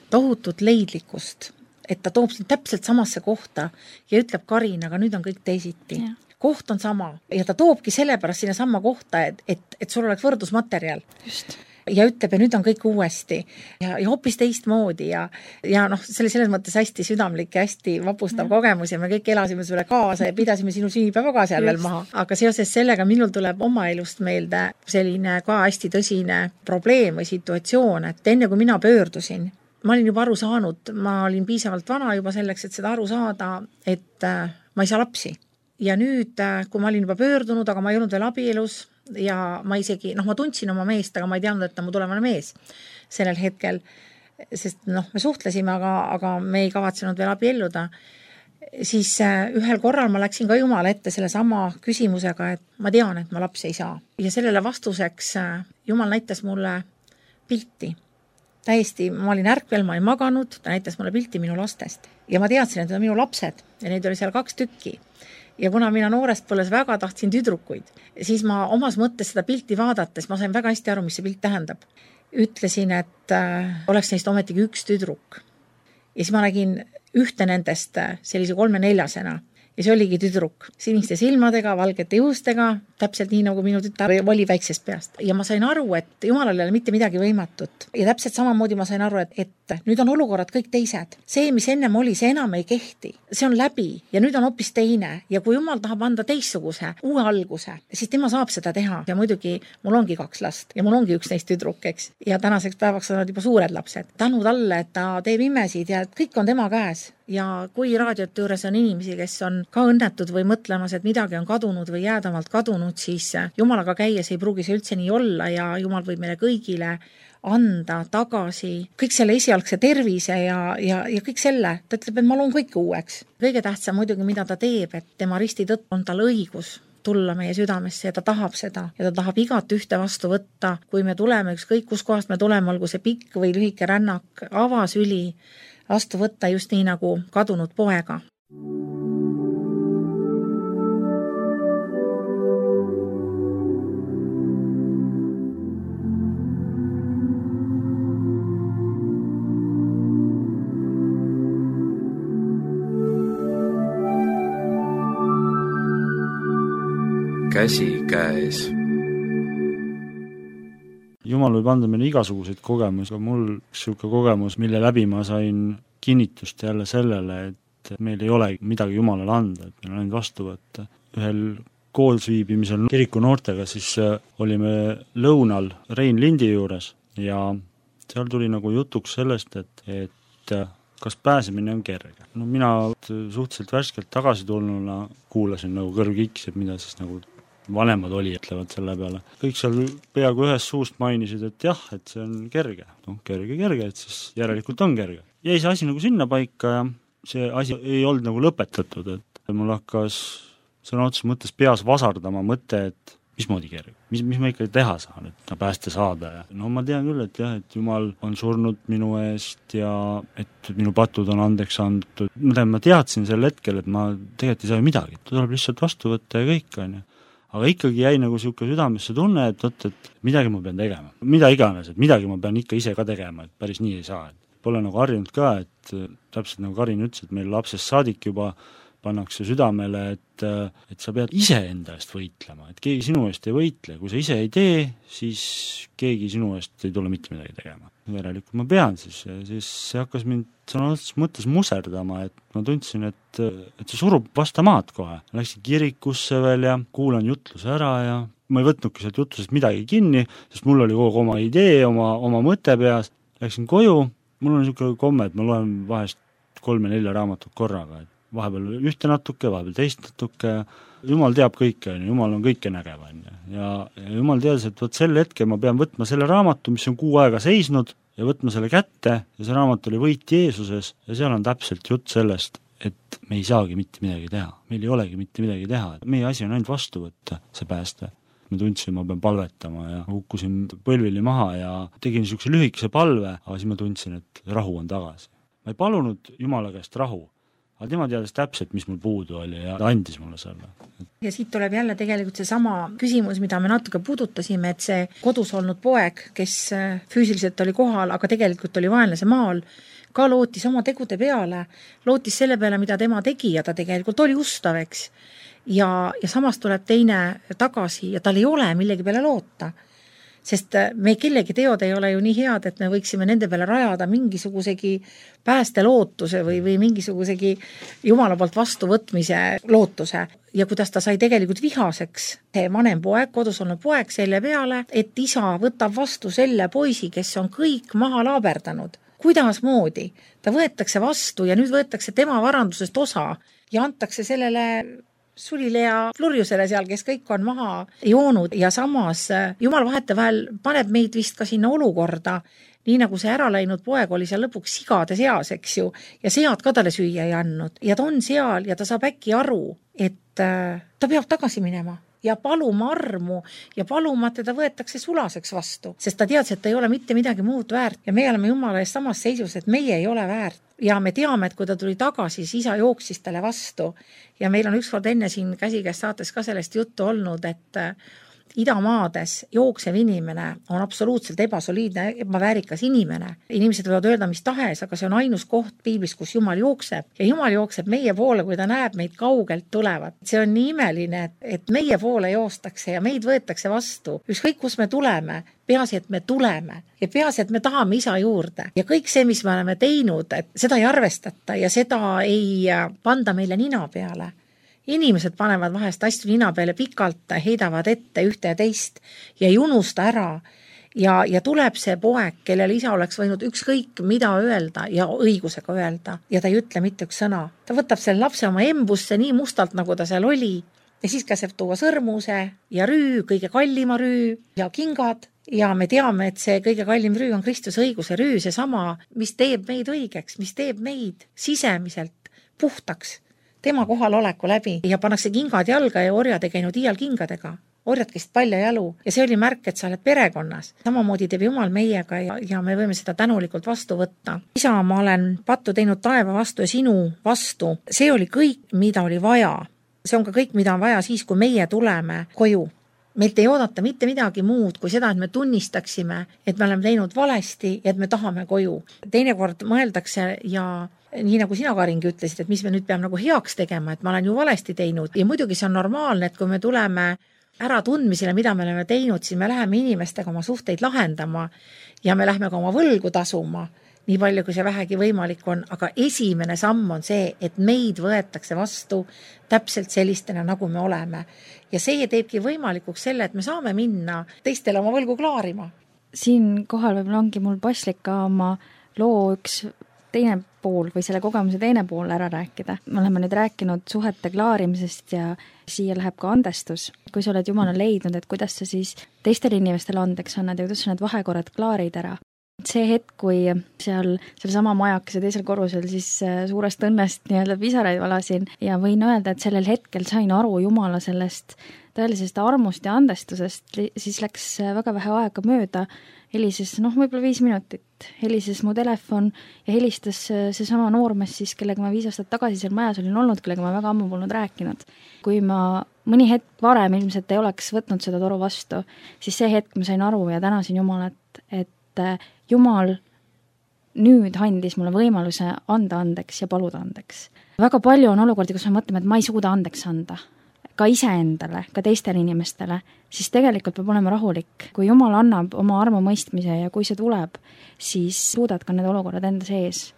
tohutut leidlikkust, et ta toob sind täpselt samasse kohta ja ütleb, Karin, aga nüüd on kõik teisiti. Ja. Koht on sama ja ta toobki sellepärast sinna sama kohta, et, et, et sul oleks võrdusmaterjal. Just. Ja ütleb, ja nüüd on kõik uuesti ja, ja hoopis teistmoodi ja, ja noh, see oli selles mõttes hästi südamlik ja hästi vapustav ja. Kogemus ja me kõik elasime sulle kaasa ja pidasime sinu sünnipäeva ka seal veel maha. Aga seoses sellega minul tuleb oma elust meelde selline ka hästi tõsine probleem või situatsioon, et enne kui mina pöördusin, ma olin juba aru saanud, ma olin piisavalt vana juba selleks, et seda aru saada, et äh, ma ei saa lapsi. Ja nüüd, äh, kui ma olin juba pöördunud, aga ma ei olnud veel abielus ja ma isegi, noh, ma tundsin oma meest, aga ma ei teadnud, et ta mu tulevane mees sellel hetkel, sest noh, me suhtlesime, aga, aga me ei kavatsenud veel abielluda. Siis äh, ühel korral ma läksin ka Jumala ette selle sama küsimusega, et ma tean, et ma lapsi ei saa. Ja sellele vastuseks äh, Jumal näitas mulle pilti. Täiesti, ma olin ärkvel, ma ei maganud, ta näitas mulle pilti minu lastest. Ja ma teadsin, et need on minu lapsed ja neid oli seal kaks tükki. Ja kuna mina noorest põles väga tahtsin tüdrukuid, siis ma omas mõttes seda pilti vaadates, ma sain väga hästi aru, mis see pilt tähendab. Ütlesin, et äh, oleks neist ometigi üks tüdruk. Ja siis ma nägin ühte nendest sellise kolme-neljasena ja see oligi tüdruk, siniste silmadega, valgete juustega, täpselt nii, nagu minu tütar oli väiksest peast. Ja ma sain aru, et Jumalal ei ole mitte midagi võimatut. Ja täpselt samamoodi ma sain aru, et, et nüüd on olukorrad kõik teised. See, mis ennem oli, see enam ei kehti. See on läbi ja nüüd on hoopis teine. Ja kui Jumal tahab anda teistsuguse, uue alguse, siis tema saab seda teha. Ja muidugi mul ongi kaks last ja mul ongi üks neist tüdruk, eks. Ja tänaseks päevaks on nad juba suured lapsed. Tänu talle, et ta teeb imesid ja kõik on tema käes. Ja kui raadiote juures on inimesi, kes on ka õnnetud või mõtlemas, et midagi on kadunud või jäädavalt kadunud, siis Jumalaga käies ei pruugi see üldse nii olla ja Jumal võib meile kõigile anda tagasi kõik selle esialgse tervise ja, ja, ja kõik selle. Ta ütleb, et ma loon kõik uueks. Kõige tähtsam muidugi, mida ta teeb, et tema risti tõtt on tal õigus tulla meie südamesse ja ta tahab seda ja ta tahab igat ühte vastu võtta. Kui me tuleme, ükskõik kus kohast me tuleme, olgu see pikk või lühike rännak, avasüli vastu võtta just nii nagu kadunud poega. Käsi käes. Jumal võib anda meile igasuguseid kogemusi, aga mul siuke kogemus, mille läbi ma sain kinnitust jälle sellele, et meil ei ole midagi Jumalale anda, et meil on ainult vastu võtta. Ühel koolsviibimisel kiriku noortega siis olime lõunal Rein Lindi juures ja seal tuli nagu jutuks sellest, et, et kas pääsemine on kerge. No mina suhteliselt värskelt tagasi tulnuna kuulasin nagu kõrv kiksib, mida siis nagu vanemad oli, ütlevad selle peale. Kõik seal peaaegu ühest suust mainisid, et jah, et see on kerge. No kerge, kerge, et siis järelikult on kerge. Jäi see asi nagu sinna paika ja see asi ei olnud nagu lõpetatud, et mul hakkas sõna otseses mõttes peas vasardama mõte, et mismoodi kerge, mis, mis ma ikka teha saan, et pääste saada. Ja no ma tean küll, et jah, et Jumal on surnud minu eest ja et minu patud on andeks antud. Ma teadsin sel hetkel, et ma tegelikult ei saa midagi, tuleb lihtsalt vastu võtta ja kõik on. Aga ikkagi jäi nagu siuke südamesse tunne, et, et, et midagi ma pean tegema. Mida iganes, et midagi ma pean ikka ise ka tegema, et päris nii ei saa. Pole nagu harjunud ka, et täpselt nagu Karin ütles, et meil lapsest saadik juba pannakse südamele, et, et sa pead ise enda eest võitlema, et keegi sinu eest ei võitle. Kui sa ise ei tee, siis keegi sinu eest ei tule mitte midagi tegema. Järelikult ma pean siis, ja siis see hakkas mind sõna mõttes muserdama, et ma tundsin, et, et see surub vasta maad kohe. Läksin kirikusse veel ja kuulan jutluse ära ja ma ei võtnudki sealt jutlusest midagi kinni, sest mul oli kogu oma idee, oma, oma mõte peas. Läksin koju, mul on niisugune komme, et ma loen vahest kolme-nelja raamatut korraga, et vahepeal ühte natuke, vahepeal teist natuke. Jumal teab kõike, Jumal on kõike nägev. Ja, ja Jumal teadis, et võt sel hetkel ma pean võtma selle raamatu, mis on kuu aega seisnud, ja võtma selle kätte, ja see raamat oli Võit Jeesuses, ja seal on täpselt jutt sellest, et me ei saagi mitte midagi teha. Meil ei olegi mitte midagi teha. Meie asi on ainult vastu võtta, see pääste. Ma tundsin, ma pean palvetama ja hukkusin põlvili maha ja tegin niisuguse lühikese palve, aga siis ma tundsin, et rahu on tagasi. Ma ei palunud Jumala käest rahu, aga tema teadis täpselt, mis mul puudu oli ja ta andis mulle selle. Ja siit tuleb jälle tegelikult see sama küsimus, mida me natuke puudutasime, et see kodus olnud poeg, kes füüsiliselt oli kohal, aga tegelikult oli vaenlase maal, ka lootis oma tegude peale, lootis selle peale, mida tema tegi ja ta tegelikult oli ustav, eks. Ja, ja samas tuleb teine tagasi ja tal ei ole millegi peale loota. Sest me kellegi teod ei ole ju nii head, et me võiksime nende peale rajada mingisugusegi päästelootuse või, või mingisugusegi Jumala poolt vastuvõtmise lootuse. Ja kuidas ta sai tegelikult vihaseks, see vanem poeg, kodus olnud poeg selle peale, et isa võtab vastu selle poisi, kes on kõik maha laaberdanud. Kuidas moodi? Ta võetakse vastu ja nüüd võetakse tema varandusest osa ja antakse sellele Sulile ja Flurjusele seal, kes kõik on maha joonud ja samas Jumal vahetevahel paneb meid vist ka sinna olukorda, nii nagu see ära läinud poeg oli seal lõpuks sigade seas, eks ju, ja sead ka talle süüa ei andnud. Ja ta on seal ja ta saab äkki aru, et ta peab tagasi minema ja paluma armu ja paluma, et teda võetakse sulaseks vastu, sest ta teadis, et ta ei ole mitte midagi muud väärt ja meie oleme Jumala eest samas seisus, et meie ei ole väärt. Ja me teame, et kui ta tuli tagasi, siis isa jooksis talle vastu. Ja meil on ükskord enne siin käsikäest saates ka sellest juttu olnud, et, idamaades jooksev inimene on absoluutselt ebasoliidne, ebaväärikas inimene. Inimesed võivad öelda mis tahes, aga see on ainus koht piiblis, kus Jumal jookseb. Ja Jumal jookseb meie poole, kui ta näeb meid kaugelt tulevat. See on nii imeline, et, et meie poole joostakse ja meid võetakse vastu. Ükskõik, kus me tuleme, peaasi, et me tuleme ja peaasi, et me tahame isa juurde. Ja kõik see, mis me oleme teinud, et seda ei arvestata ja seda ei panda meile nina peale. Inimesed panevad vahest asju nina peale pikalt, heidavad ette ühte ja teist ja ei unusta ära. Ja, ja tuleb see poeg, kellele isa oleks võinud ükskõik mida öelda ja õigusega öelda. Ja ta ei ütle mitte üks sõna. Ta võtab selle lapse oma embusse nii mustalt, nagu ta seal oli. Ja siis käseb tuua sõrmuse ja rüü, kõige kallima rüü ja kingad. Ja me teame, et see kõige kallim rüü on Kristuse õiguse rüü, see sama, mis teeb meid õigeks, mis teeb meid sisemiselt puhtaks. Tema kohaloleku läbi ja pannakse kingad jalga ja orjad ei käinud iial kingadega. Orjad käisid palja jalu ja see oli märk, et sa oled perekonnas. Samamoodi teeb Jumal meiega ja, ja me võime seda tänulikult vastu võtta. Isa, ma olen pattu teinud taeva vastu ja sinu vastu. See oli kõik, mida oli vaja. See on ka kõik, mida on vaja siis, kui meie tuleme koju. Meilt ei oodata mitte midagi muud kui seda, et me tunnistaksime, et me oleme teinud valesti ja et me tahame koju. Teinekord mõeldakse ja nii nagu sina, Karingi, ütlesid, et mis me nüüd peame nagu heaks tegema, et ma olen ju valesti teinud. Ja muidugi see on normaalne, et kui me tuleme ära tundmisele, mida me oleme teinud, siis me läheme inimestega oma suhteid lahendama ja me lähme ka oma võlgu tasuma, nii palju kui see vähegi võimalik on. Aga esimene samm on see, et meid võetakse vastu täpselt sellistena, nagu me oleme. Ja see teebki võimalikuks selle, et me saame minna teistele oma võlgu klaarima. Siin kohal võib ongi mul paslik ka oma loo üks teine pool või selle kogemuse teine pool ära rääkida. Me oleme nüüd rääkinud suhete klaarimisest ja siia läheb ka andestus. Kui sa oled Jumala leidnud, et kuidas sa siis teistele inimestele andeks annad ja kuidas sa need vahekorrad klaarid ära. See hetk, kui seal, seal sama majakese teisel korrusel siis suurest õnnest nii-öelda pisaraid valasin ja võin öelda, et sellel hetkel sain aru Jumala sellest tõelisest armust ja andestusest, siis läks väga vähe aega mööda, helises, noh, võib-olla viis minutit, helises mu telefon ja helistas see sama noormees siis, kellega ma viis aastat tagasi seal majas olin olnud, kellega ma väga ammu polnud rääkinud. Kui ma mõni hetk varem ilmselt ei oleks võtnud seda toru vastu, siis see hetk ma sain aru ja tänasin Jumalat, et Jumal nüüd andis mulle võimaluse anda andeks ja paluda andeks. Väga palju on olukordi, kus me mõtleme, et ma ei suuda andeks anda. Ka iseendale, ka teistele inimestele, siis tegelikult peab olema rahulik. Kui Jumal annab oma armu mõistmise ja kui see tuleb, siis suudad ka need olukorrad enda sees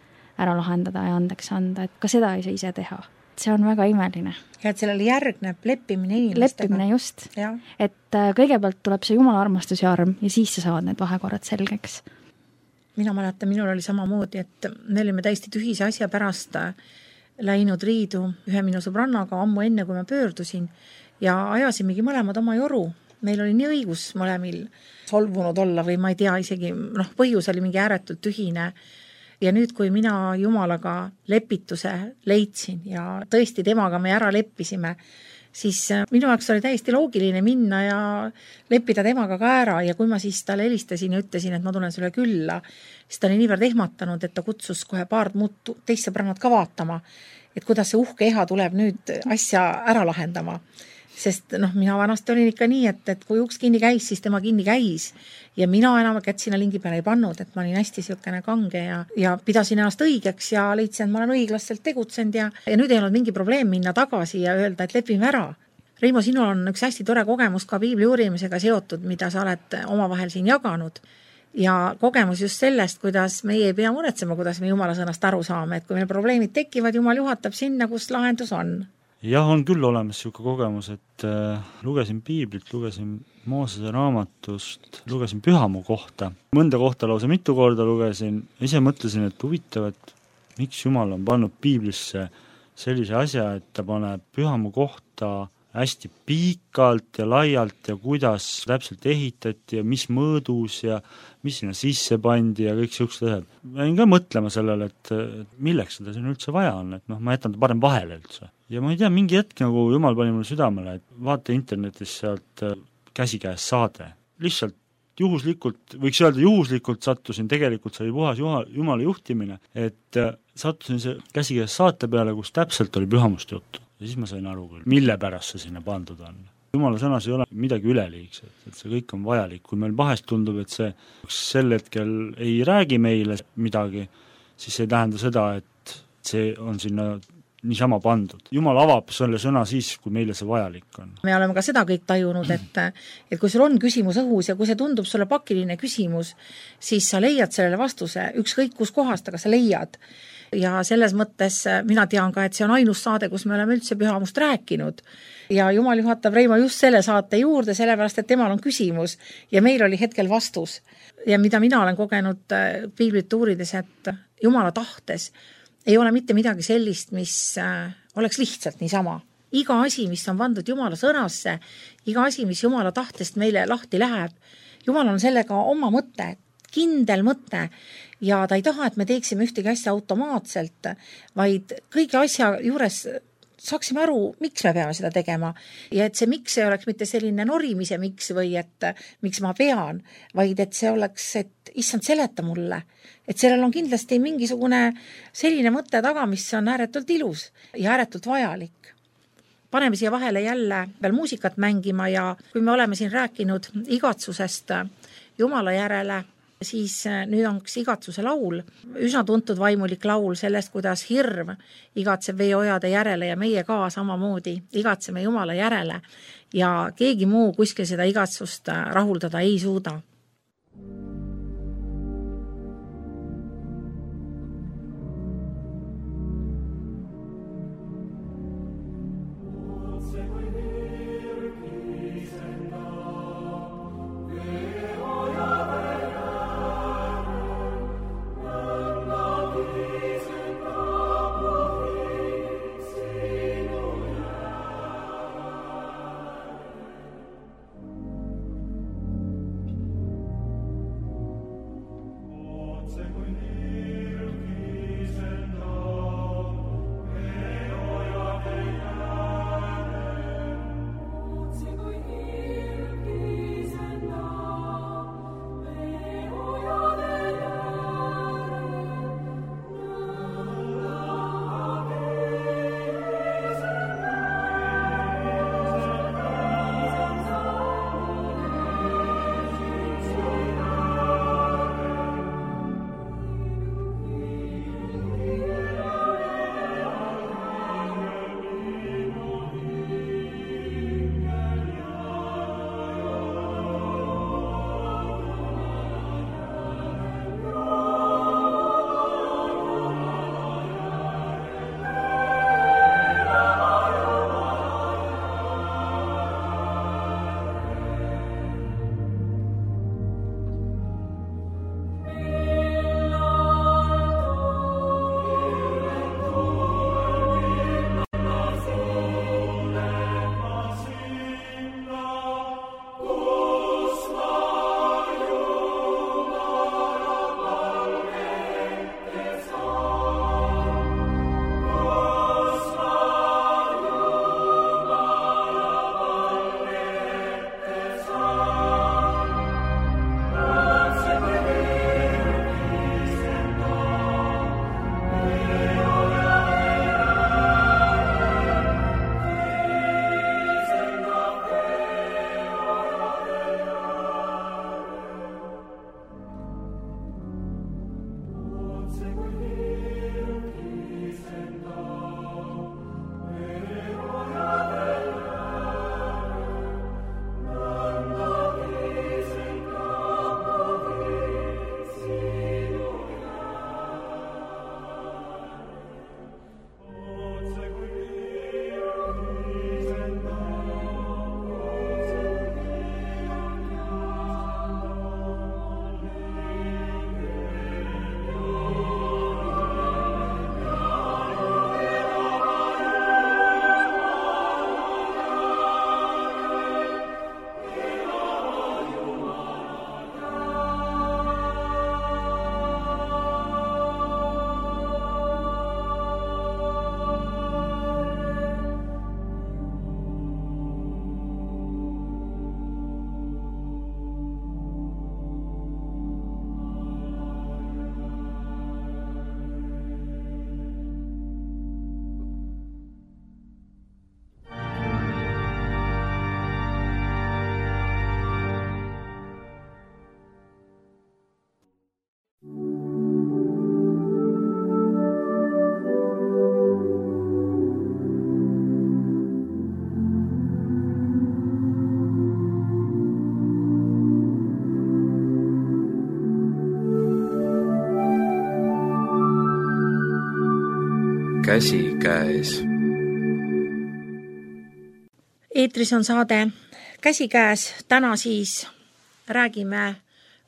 ära lahendada ja andeks anda, et ka seda ei saa ise teha. See on väga imeline. Ja et sellele järgneb leppimine inimestega. Leppimine just. Ja. Et kõigepealt tuleb see Jumala armastus ja arm ja siis sa saavad need vahekorrad selgeks. Mina mäletan, minul oli samamoodi, et me olime täiesti tühise asja pärast läinud riidu ühe minu sõbrannaga ammu enne, kui ma pöördusin ja ajasimegi mõlemad oma joru. Meil oli nii õigus mõlemil solvunud olla või ma ei tea isegi, noh, põhjus oli mingi ääretult tühine. Ja nüüd, kui mina Jumalaga lepituse leidsin ja tõesti temaga me ära leppisime, siis minu jaoks oli täiesti loogiline minna ja leppida temaga ka ära ja kui ma siis talle helistasin ja ütlesin, et ma tulen sulle külla, siis ta oli niivõrd ehmatanud, et ta kutsus kohe paar muud teist sõbrannat ka vaatama, et kuidas see uhke eha tuleb nüüd asja ära lahendama. Sest noh, mina vanasti olin ikka nii, et, et kui uks kinni käis, siis tema kinni käis ja mina enam kätt sinna lingi peale ei pannud, et ma olin hästi siukene kange ja, ja pidasin ennast õigeks ja leidsin, et ma olen õiglaselt tegutsenud ja, ja nüüd ei olnud mingi probleem minna tagasi ja öelda, et lepime ära. Reimo, sinul on üks hästi tore kogemus ka piibli uurimisega seotud, mida sa oled omavahel siin jaganud ja kogemus just sellest, kuidas meie ei pea muretsema, kuidas me Jumala sõnast aru saame, et kui meil probleemid tekivad, Jumal juhatab sinna, kus lahendus on. Jah, on küll olemas siuke kogemus, et äh, lugesin piiblit, lugesin Moosese raamatust, lugesin Pühamu kohta. Mõnda kohta lausa mitu korda lugesin. Ise mõtlesin, et huvitav, et miks Jumal on pannud piiblisse sellise asja, et ta paneb Pühamu kohta hästi pikalt ja laialt ja kuidas täpselt ehitati ja mis mõõdus ja mis sinna sisse pandi ja kõik siuksed asjad. Ma jäin ka mõtlema sellele, et milleks seda siin üldse vaja on, et noh, ma jätan ta parem vahele üldse. Ja ma ei tea, mingi hetk nagu Jumal pani mulle südamele, et vaata internetis sealt käsikäes saade. Lihtsalt juhuslikult, võiks öelda juhuslikult sattusin, tegelikult see oli puhas Jumala juhtimine, et sattusin see käsikäes saate peale, kus täpselt oli pühamust juttu. Ja siis ma sain aru küll, mille pärast see sinna pandud on. Jumala sõnas ei ole midagi üleliigset, et see kõik on vajalik. Kui meil vahest tundub, et see sel hetkel ei räägi meile midagi, siis see ei tähenda seda, et see on sinna niisama pandud. Jumal avab selle sõna siis, kui meile see vajalik on. Me oleme ka seda kõik tajunud, et, et kui sul on küsimus õhus ja kui see tundub sulle pakiline küsimus, siis sa leiad sellele vastuse, ükskõik kus kohast, aga sa leiad. Ja selles mõttes mina tean ka, et see on ainus saade, kus me oleme üldse pühamust rääkinud. Ja Jumal juhatab Reimo just selle saate juurde, sellepärast, et temal on küsimus ja meil oli hetkel vastus. Ja mida mina olen kogenud piiblit uurides, et Jumala tahtes ei ole mitte midagi sellist, mis oleks lihtsalt niisama. Iga asi, mis on pandud Jumala sõnasse, iga asi, mis Jumala tahtest meile lahti läheb, Jumal on sellega oma mõte, kindel mõte ja ta ei taha, et me teeksime ühtegi asja automaatselt, vaid kõigi asja juures saaksime aru, miks me peame seda tegema ja et see miks ei oleks mitte selline norimise miks või et miks ma pean, vaid et see oleks, et issand seleta mulle, et sellel on kindlasti mingisugune selline mõte taga, mis on ääretult ilus ja ääretult vajalik. Paneme siia vahele jälle veel muusikat mängima ja kui me oleme siin rääkinud igatsusest Jumala järele, siis nüüd on üks igatsuse laul, üsna tuntud vaimulik laul sellest, kuidas hirm igatseb veeojade järele ja meie ka samamoodi igatseme Jumala järele ja keegi muu kuskil seda igatsust rahuldada ei suuda. käsikäes. Eetris on saade Käsikäes. Täna siis räägime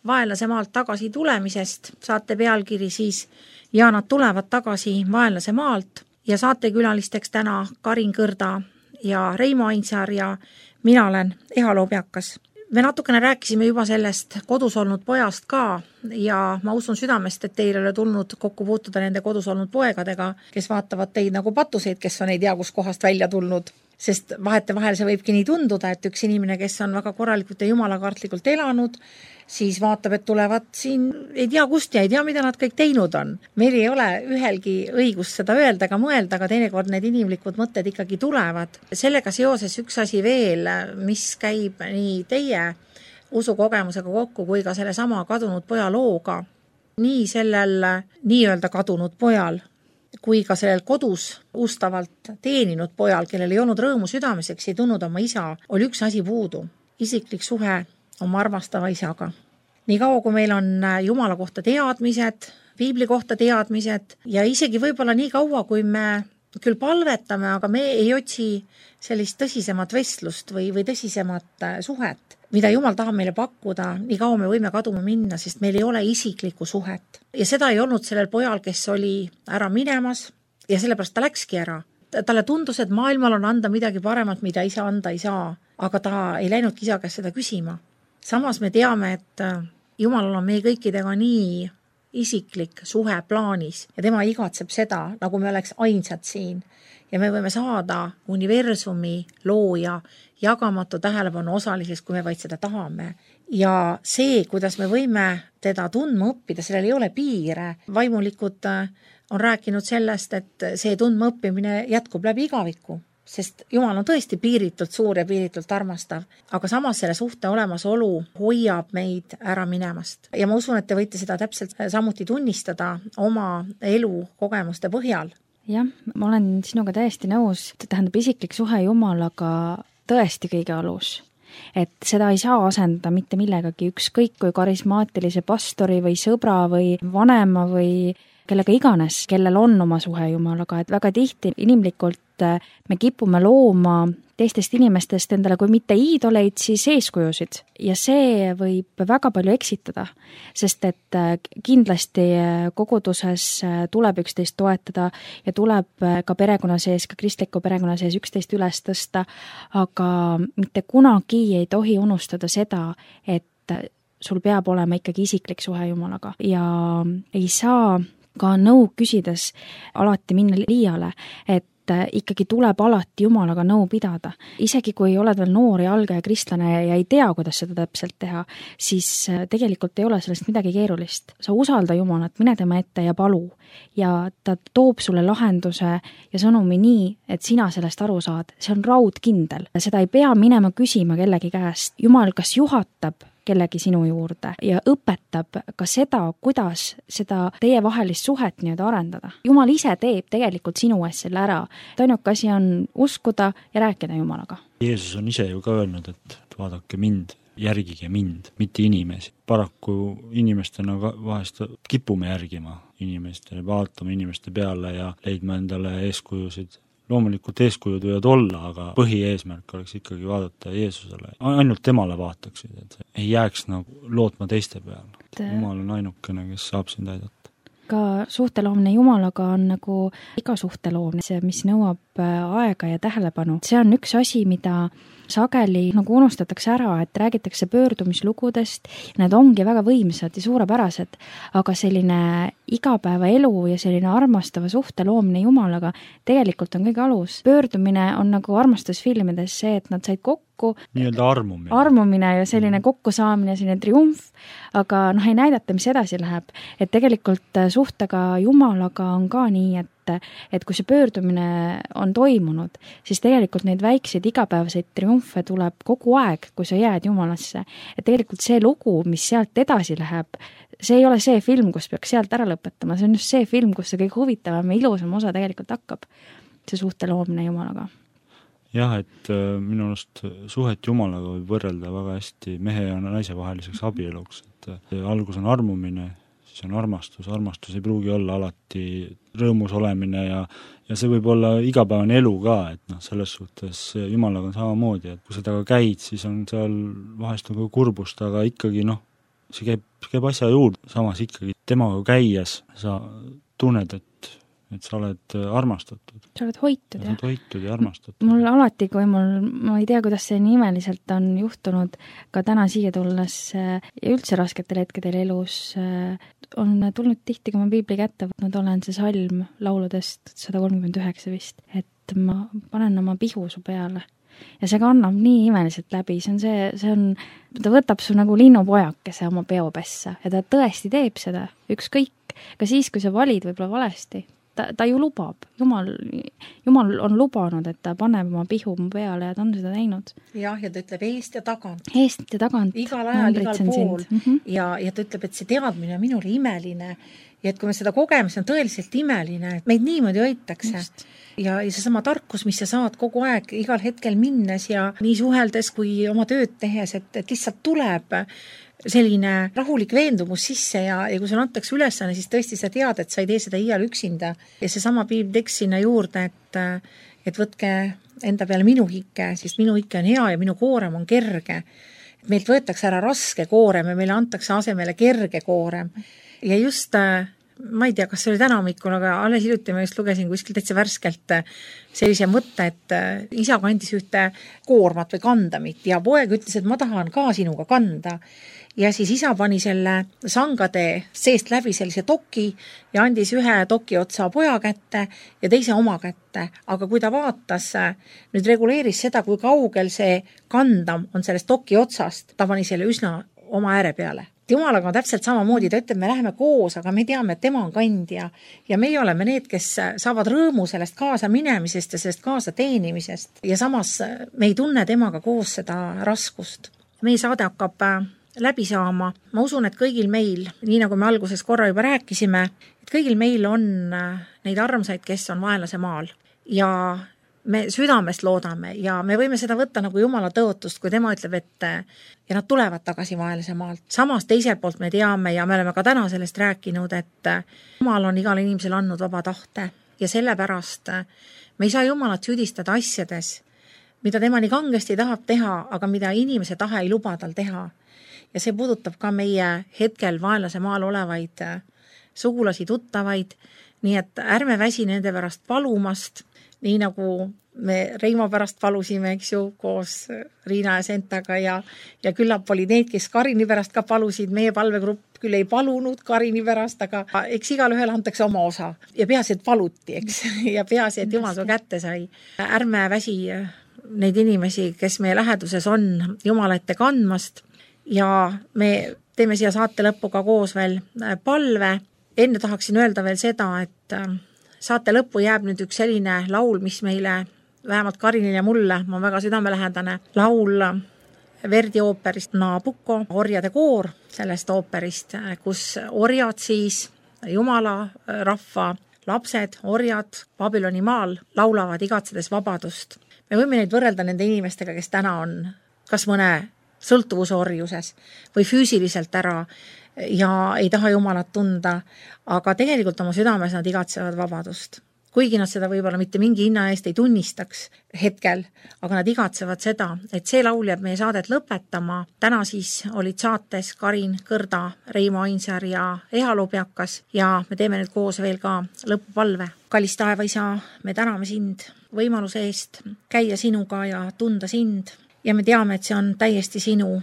vaenlase maalt tagasi tulemisest. Saate pealkiri siis Ja nad tulevad tagasi vaenlase maalt ja saatekülalisteks täna Karin Kõrda ja Reimo Ainsaar ja mina olen Eha Loobiakas. Me natukene rääkisime juba sellest kodus olnud pojast ka ja ma usun südamest, et teil ei ole tulnud kokku puutuda nende kodus olnud poegadega, kes vaatavad teid nagu patuseid, kes on ei tea kus kohast välja tulnud. Sest vahetevahel see võibki nii tunduda, et üks inimene, kes on väga korralikult ja jumalakartlikult elanud, siis vaatab, et tulevad siin ei tea kust ja ei tea, mida nad kõik teinud on. Meil ei ole ühelgi õigust seda öelda ega mõelda, aga teinekord need inimlikud mõtted ikkagi tulevad. Sellega seoses üks asi veel, mis käib nii teie usukogemusega kokku kui ka selle sama kadunud poja looga. Nii sellel nii-öelda kadunud pojal kui ka sellel kodus ustavalt teeninud pojal, kellel ei olnud rõõmu südameseks, ei tundnud oma isa, oli üks asi puudu. Isiklik suhe oma armastava isaga. Nii kaua, kui meil on Jumala kohta teadmised, piibli kohta teadmised ja isegi võib-olla nii kaua, kui me küll palvetame, aga me ei otsi sellist tõsisemat vestlust või, või tõsisemat suhet, mida Jumal tahab meile pakkuda, nii kaua me võime kaduma minna, sest meil ei ole isiklikku suhet. Ja seda ei olnud sellel pojal, kes oli ära minemas ja sellepärast ta läkski ära. Talle tundus, et maailmal on anda midagi paremat, mida isa anda ei saa, aga ta ei läinudki isa käest seda küsima. Samas me teame, et Jumalal on meie kõikidega nii isiklik suhe plaanis ja tema igatseb seda, nagu me oleks ainsad siin. Ja me võime saada universumi looja jagamatu tähelepanu osaliseks, kui me vaid seda tahame. Ja see, kuidas me võime teda tundma õppida, sellel ei ole piire. Vaimulikud on rääkinud sellest, et see tundma õppimine jätkub läbi igaviku, sest Jumal on tõesti piiritult suur ja piiritult armastav, aga samas selle suhte olemasolu hoiab meid ära minemast. Ja ma usun, et te võite seda täpselt samuti tunnistada oma elu kogemuste põhjal. Jah, ma olen sinuga täiesti nõus, tähendab isiklik suhe Jumalaga tõesti kõige alus. Et seda ei saa asendada mitte millegagi, ükskõik kui karismaatilise pastori või sõbra või vanema või kellega iganes, kellel on oma suhe Jumalaga, et väga tihti inimlikult me kipume looma teistest inimestest endale kui mitte iidoleid, siis eeskujusid. Ja see võib väga palju eksitada, sest et kindlasti koguduses tuleb üksteist toetada ja tuleb ka perekonna sees, ka kristliku perekonna sees üksteist üles tõsta, aga mitte kunagi ei tohi unustada seda, et sul peab olema ikkagi isiklik suhe Jumalaga ja ei saa ka nõu küsides alati minna liiale, et ikkagi tuleb alati Jumalaga nõu pidada. Isegi kui oled veel noor ja algaja kristlane ja ei tea, kuidas seda täpselt teha, siis tegelikult ei ole sellest midagi keerulist. Sa usalda Jumalat, mine tema ette ja palu. Ja ta toob sulle lahenduse ja sõnumi nii, et sina sellest aru saad. See on raudkindel. Seda ei pea minema küsima kellegi käest. Jumal kas juhatab kellegi sinu juurde ja õpetab ka seda, kuidas seda teie vahelist suhet nii-öelda arendada. Jumal ise teeb tegelikult sinu ees selle ära. Ainuke asi on uskuda ja rääkida Jumalaga. Jeesus on ise ju ka öelnud, et vaadake mind, järgige mind, mitte inimesi. Paraku inimestena vahest kipume järgima inimestele, vaatame inimeste peale ja leidma endale eeskujusid. Loomulikult eeskujud võivad olla, aga põhieesmärk oleks ikkagi vaadata Jeesusele. Ainult temale vaataksid, et ei jääks nagu lootma teiste peale. Jumal on ainukene, kes saab sind aidata. Ka suhteloomine Jumalaga on nagu iga suhteloomine, see, mis nõuab aega ja tähelepanu. See on üks asi, mida sageli nagu unustatakse ära, et räägitakse pöördumislugudest, need ongi väga võimsad ja suurepärased, aga selline igapäevaelu ja selline armastava suhte loomine Jumalaga tegelikult on kõige alus. Pöördumine on nagu armastusfilmides see, et nad said kokku, nii-öelda armumine. armumine ja selline kokkusaamine, selline triumf, aga noh, ei näidata, mis edasi läheb. Et tegelikult suhtega Jumalaga on ka nii, et et kui see pöördumine on toimunud, siis tegelikult neid väikseid igapäevaseid triumfe tuleb kogu aeg, kui sa jääd Jumalasse. Et tegelikult see lugu, mis sealt edasi läheb, see ei ole see film, kus peaks sealt ära lõpetama, see on just see film, kus see kõik huvitavam ja ilusam osa tegelikult hakkab, see suhte loomine Jumalaga. Jah, et minu arust suhet Jumalaga võib võrrelda väga hästi mehe ja naise vaheliseks abieluks, et algus on armumine, siis on armastus, armastus ei pruugi olla alati rõõmus olemine ja ja see võib olla igapäevane elu ka, et noh, selles suhtes Jumalaga on samamoodi, et kui sa taga käid, siis on seal vahest nagu kurbust, aga ikkagi noh, see käib, käib asja juurde, samas ikkagi temaga käies sa tunned, et et sa oled armastatud. Sa oled hoitud, ja. jah? Sa oled hoitud ja armastatud. Mul alati, kui mul, ma ei tea, kuidas see nii imeliselt on juhtunud, ka täna siia tulles ja üldse rasketel hetkedel elus, on tulnud tihti, kui ma piibli kätte võtnud olen, see salm lauludest sada kolmkümmend üheksa vist, et ma panen oma pihu su peale. Ja see kannab nii imeliselt läbi, see on see, see on, ta võtab su nagu linnupojakese oma peopessa ja ta tõesti teeb seda, ükskõik, ka siis, kui sa valid võib-olla valesti. Ta, ta ju lubab, Jumal, Jumal on lubanud, et ta paneb oma pihu mu peale ja ta on seda teinud. Jah, ja ta ütleb eest ja tagant. Eest ja tagant. Igal ajal, igal pool. Mm -hmm. ja, ja ta ütleb, et see teadmine on minule imeline ja et kui me seda kogeme, see on tõeliselt imeline, et meid niimoodi hoitakse. Ja, ja see sama tarkus, mis sa saad kogu aeg igal hetkel minnes ja nii suheldes kui oma tööd tehes, et, et lihtsalt tuleb selline rahulik veendumus sisse ja, ja kui sulle antakse ülesanne, siis tõesti sa tead, et sa ei tee seda iial üksinda. Ja see sama piiblitekst sinna juurde, et, et võtke enda peale minu hike, siis minu hike on hea ja minu koorem on kerge. Et meilt võetakse ära raske koorem ja meile antakse asemele kerge koorem. Ja just, ma ei tea, kas see oli täna hommikul, aga alles hiljuti ma just lugesin kuskil täitsa värskelt sellise mõtte, et isa kandis ühte koormat või kandamit ja poeg ütles, et ma tahan ka sinuga kanda. Ja siis isa pani selle sangade seest läbi sellise toki ja andis ühe toki otsa poja kätte ja teise oma kätte. Aga kui ta vaatas, nüüd reguleeris seda, kui kaugel see kandam on sellest toki otsast, ta pani selle üsna oma ääre peale. Jumalaga on täpselt samamoodi, ta ütleb, me läheme koos, aga me teame, et tema on kandja ja meie oleme need, kes saavad rõõmu sellest kaasa minemisest ja sellest kaasa teenimisest ja samas me ei tunne temaga koos seda raskust. Meie saade hakkab läbi saama. Ma usun, et kõigil meil, nii nagu me alguses korra juba rääkisime, et kõigil meil on neid armsaid, kes on vaenlase maal ja me südamest loodame ja me võime seda võtta nagu Jumala tõotust, kui tema ütleb, et ja nad tulevad tagasi vaenlase maalt. Samas teiselt poolt me teame ja me oleme ka täna sellest rääkinud, et Jumal on igal inimesel andnud vaba tahte ja sellepärast me ei saa Jumalat süüdistada asjades, mida tema nii kangesti tahab teha, aga mida inimese tahe ei luba tal teha. Ja see puudutab ka meie hetkel vaenlase maal olevaid sugulasi, tuttavaid, nii et ärme väsi nende pärast palumast, nii nagu me Reimo pärast palusime, eks ju, koos Riina ja Sentaga ja, ja küllap oli need, kes Karini pärast ka palusid, meie palvegrupp küll ei palunud Karini pärast, aga eks igal ühel antakse oma osa ja peaasi, et paluti, eks, ja peaasi, et Jumal su kätte sai. Ärme väsi neid inimesi, kes meie läheduses on, Jumala ette kandmast ja me teeme siia saate lõppuga koos veel palve. Enne tahaksin öelda veel seda, et saate lõppu jääb nüüd üks selline laul, mis meile, vähemalt Karinil ja mulle, ma väga südamelähedane, laul Verdi ooperist Nabucco, orjade koor sellest ooperist, kus orjad siis, Jumala rahva lapsed, orjad Babyloni maal laulavad igatsedes vabadust. Me võime neid võrrelda nende inimestega, kes täna on kas mõne sõltuvusorjuses või füüsiliselt ära ja ei taha Jumalat tunda, aga tegelikult oma südames nad igatsevad vabadust. Kuigi nad seda võib-olla mitte mingi hinna eest ei tunnistaks hetkel, aga nad igatsevad seda, et see laul jääb meie saadet lõpetama. Täna siis olid saates Karin Kõrda, Reimo Ainsaar ja Eha Lubjakas ja me teeme nüüd koos veel ka lõpupalve. Kallis taevaisa, me täname sind võimaluse eest käia sinuga ja tunda sind ja me teame, et see on täiesti sinu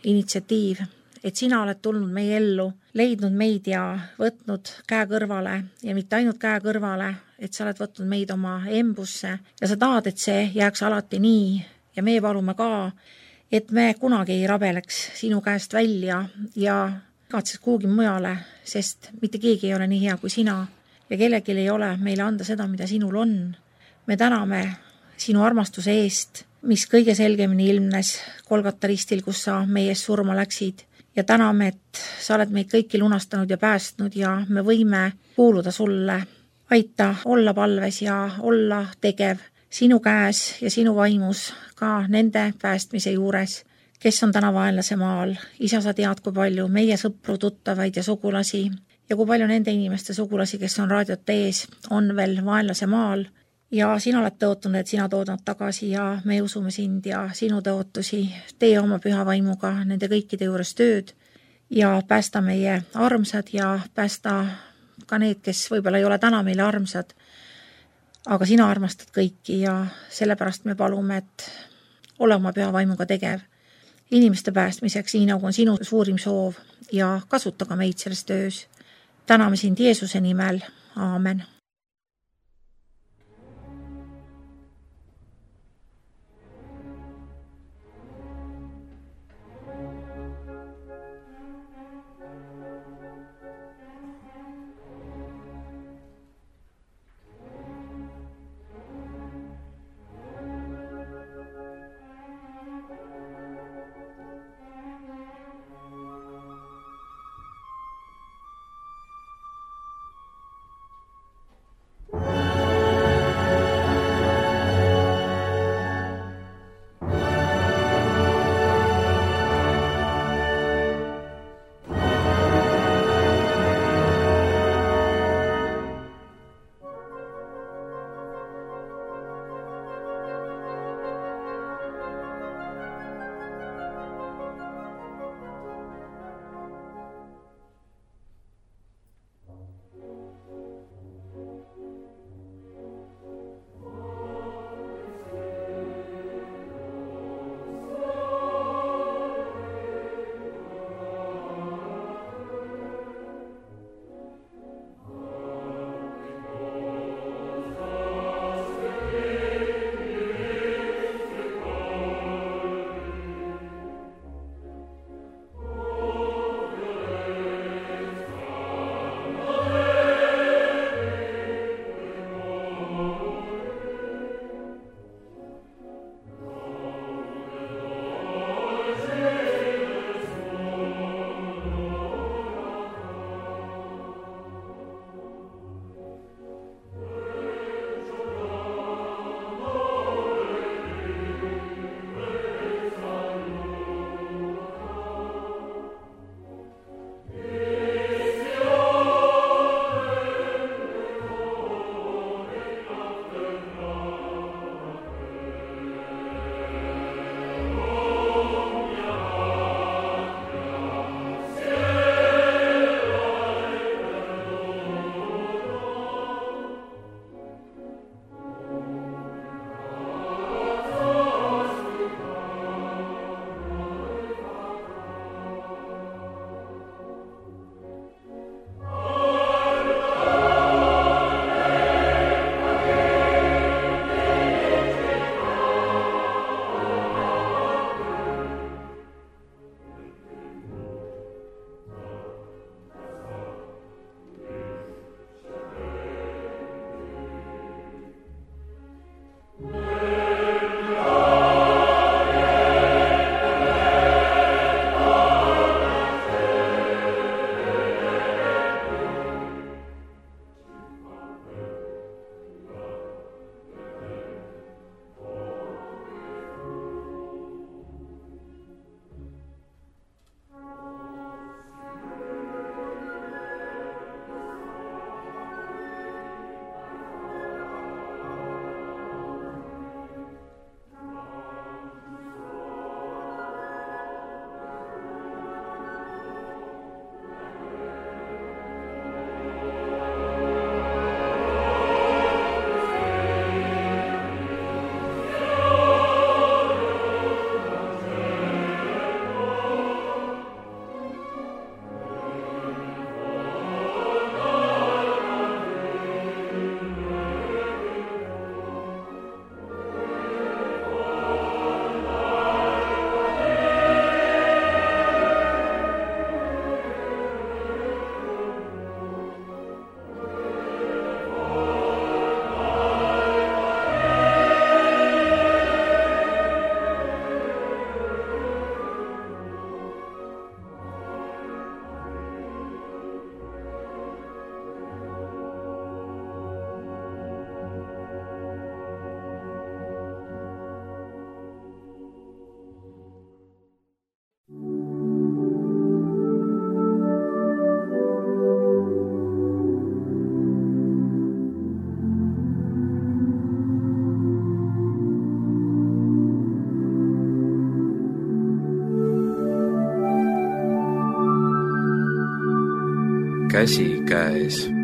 initsiatiiv, et sina oled tulnud meie ellu, leidnud meid ja võtnud käe kõrvale ja mitte ainult käe kõrvale, et sa oled võtnud meid oma embusse ja sa tahad, et see jääks alati nii ja me palume ka, et me kunagi ei rabeleks sinu käest välja ja katses kuhugi mujale, sest mitte keegi ei ole nii hea kui sina ja kellelgi ei ole meile anda seda, mida sinul on. Me täname sinu armastuse eest, mis kõige selgemini ilmnes Golgata ristil, kus sa meie eest surma läksid. Ja täname, et sa oled meid kõiki lunastanud ja päästnud ja me võime kuuluda sulle. Aita olla palves ja olla tegev sinu käes ja sinu vaimus ka nende päästmise juures, kes on täna vaenlase maal. Isa, sa tead, kui palju meie sõpru, tuttavaid ja sugulasi ja kui palju nende inimeste sugulasi, kes on raadiot ees, on veel vaenlase maal ja sina oled tõotanud, et sina tood nad tagasi ja me usume sind ja sinu tõotusi, tee oma püha vaimuga nende kõikide juures tööd ja päästa meie armsad ja päästa ka need, kes võib-olla ei ole täna meile armsad, aga sina armastad kõiki ja sellepärast me palume, et ole oma püha vaimuga tegev inimeste päästmiseks, nii nagu on sinu suurim soov ja kasuta ka meid selles töös. Täname sind Jeesuse nimel. Aamen. käsikäes.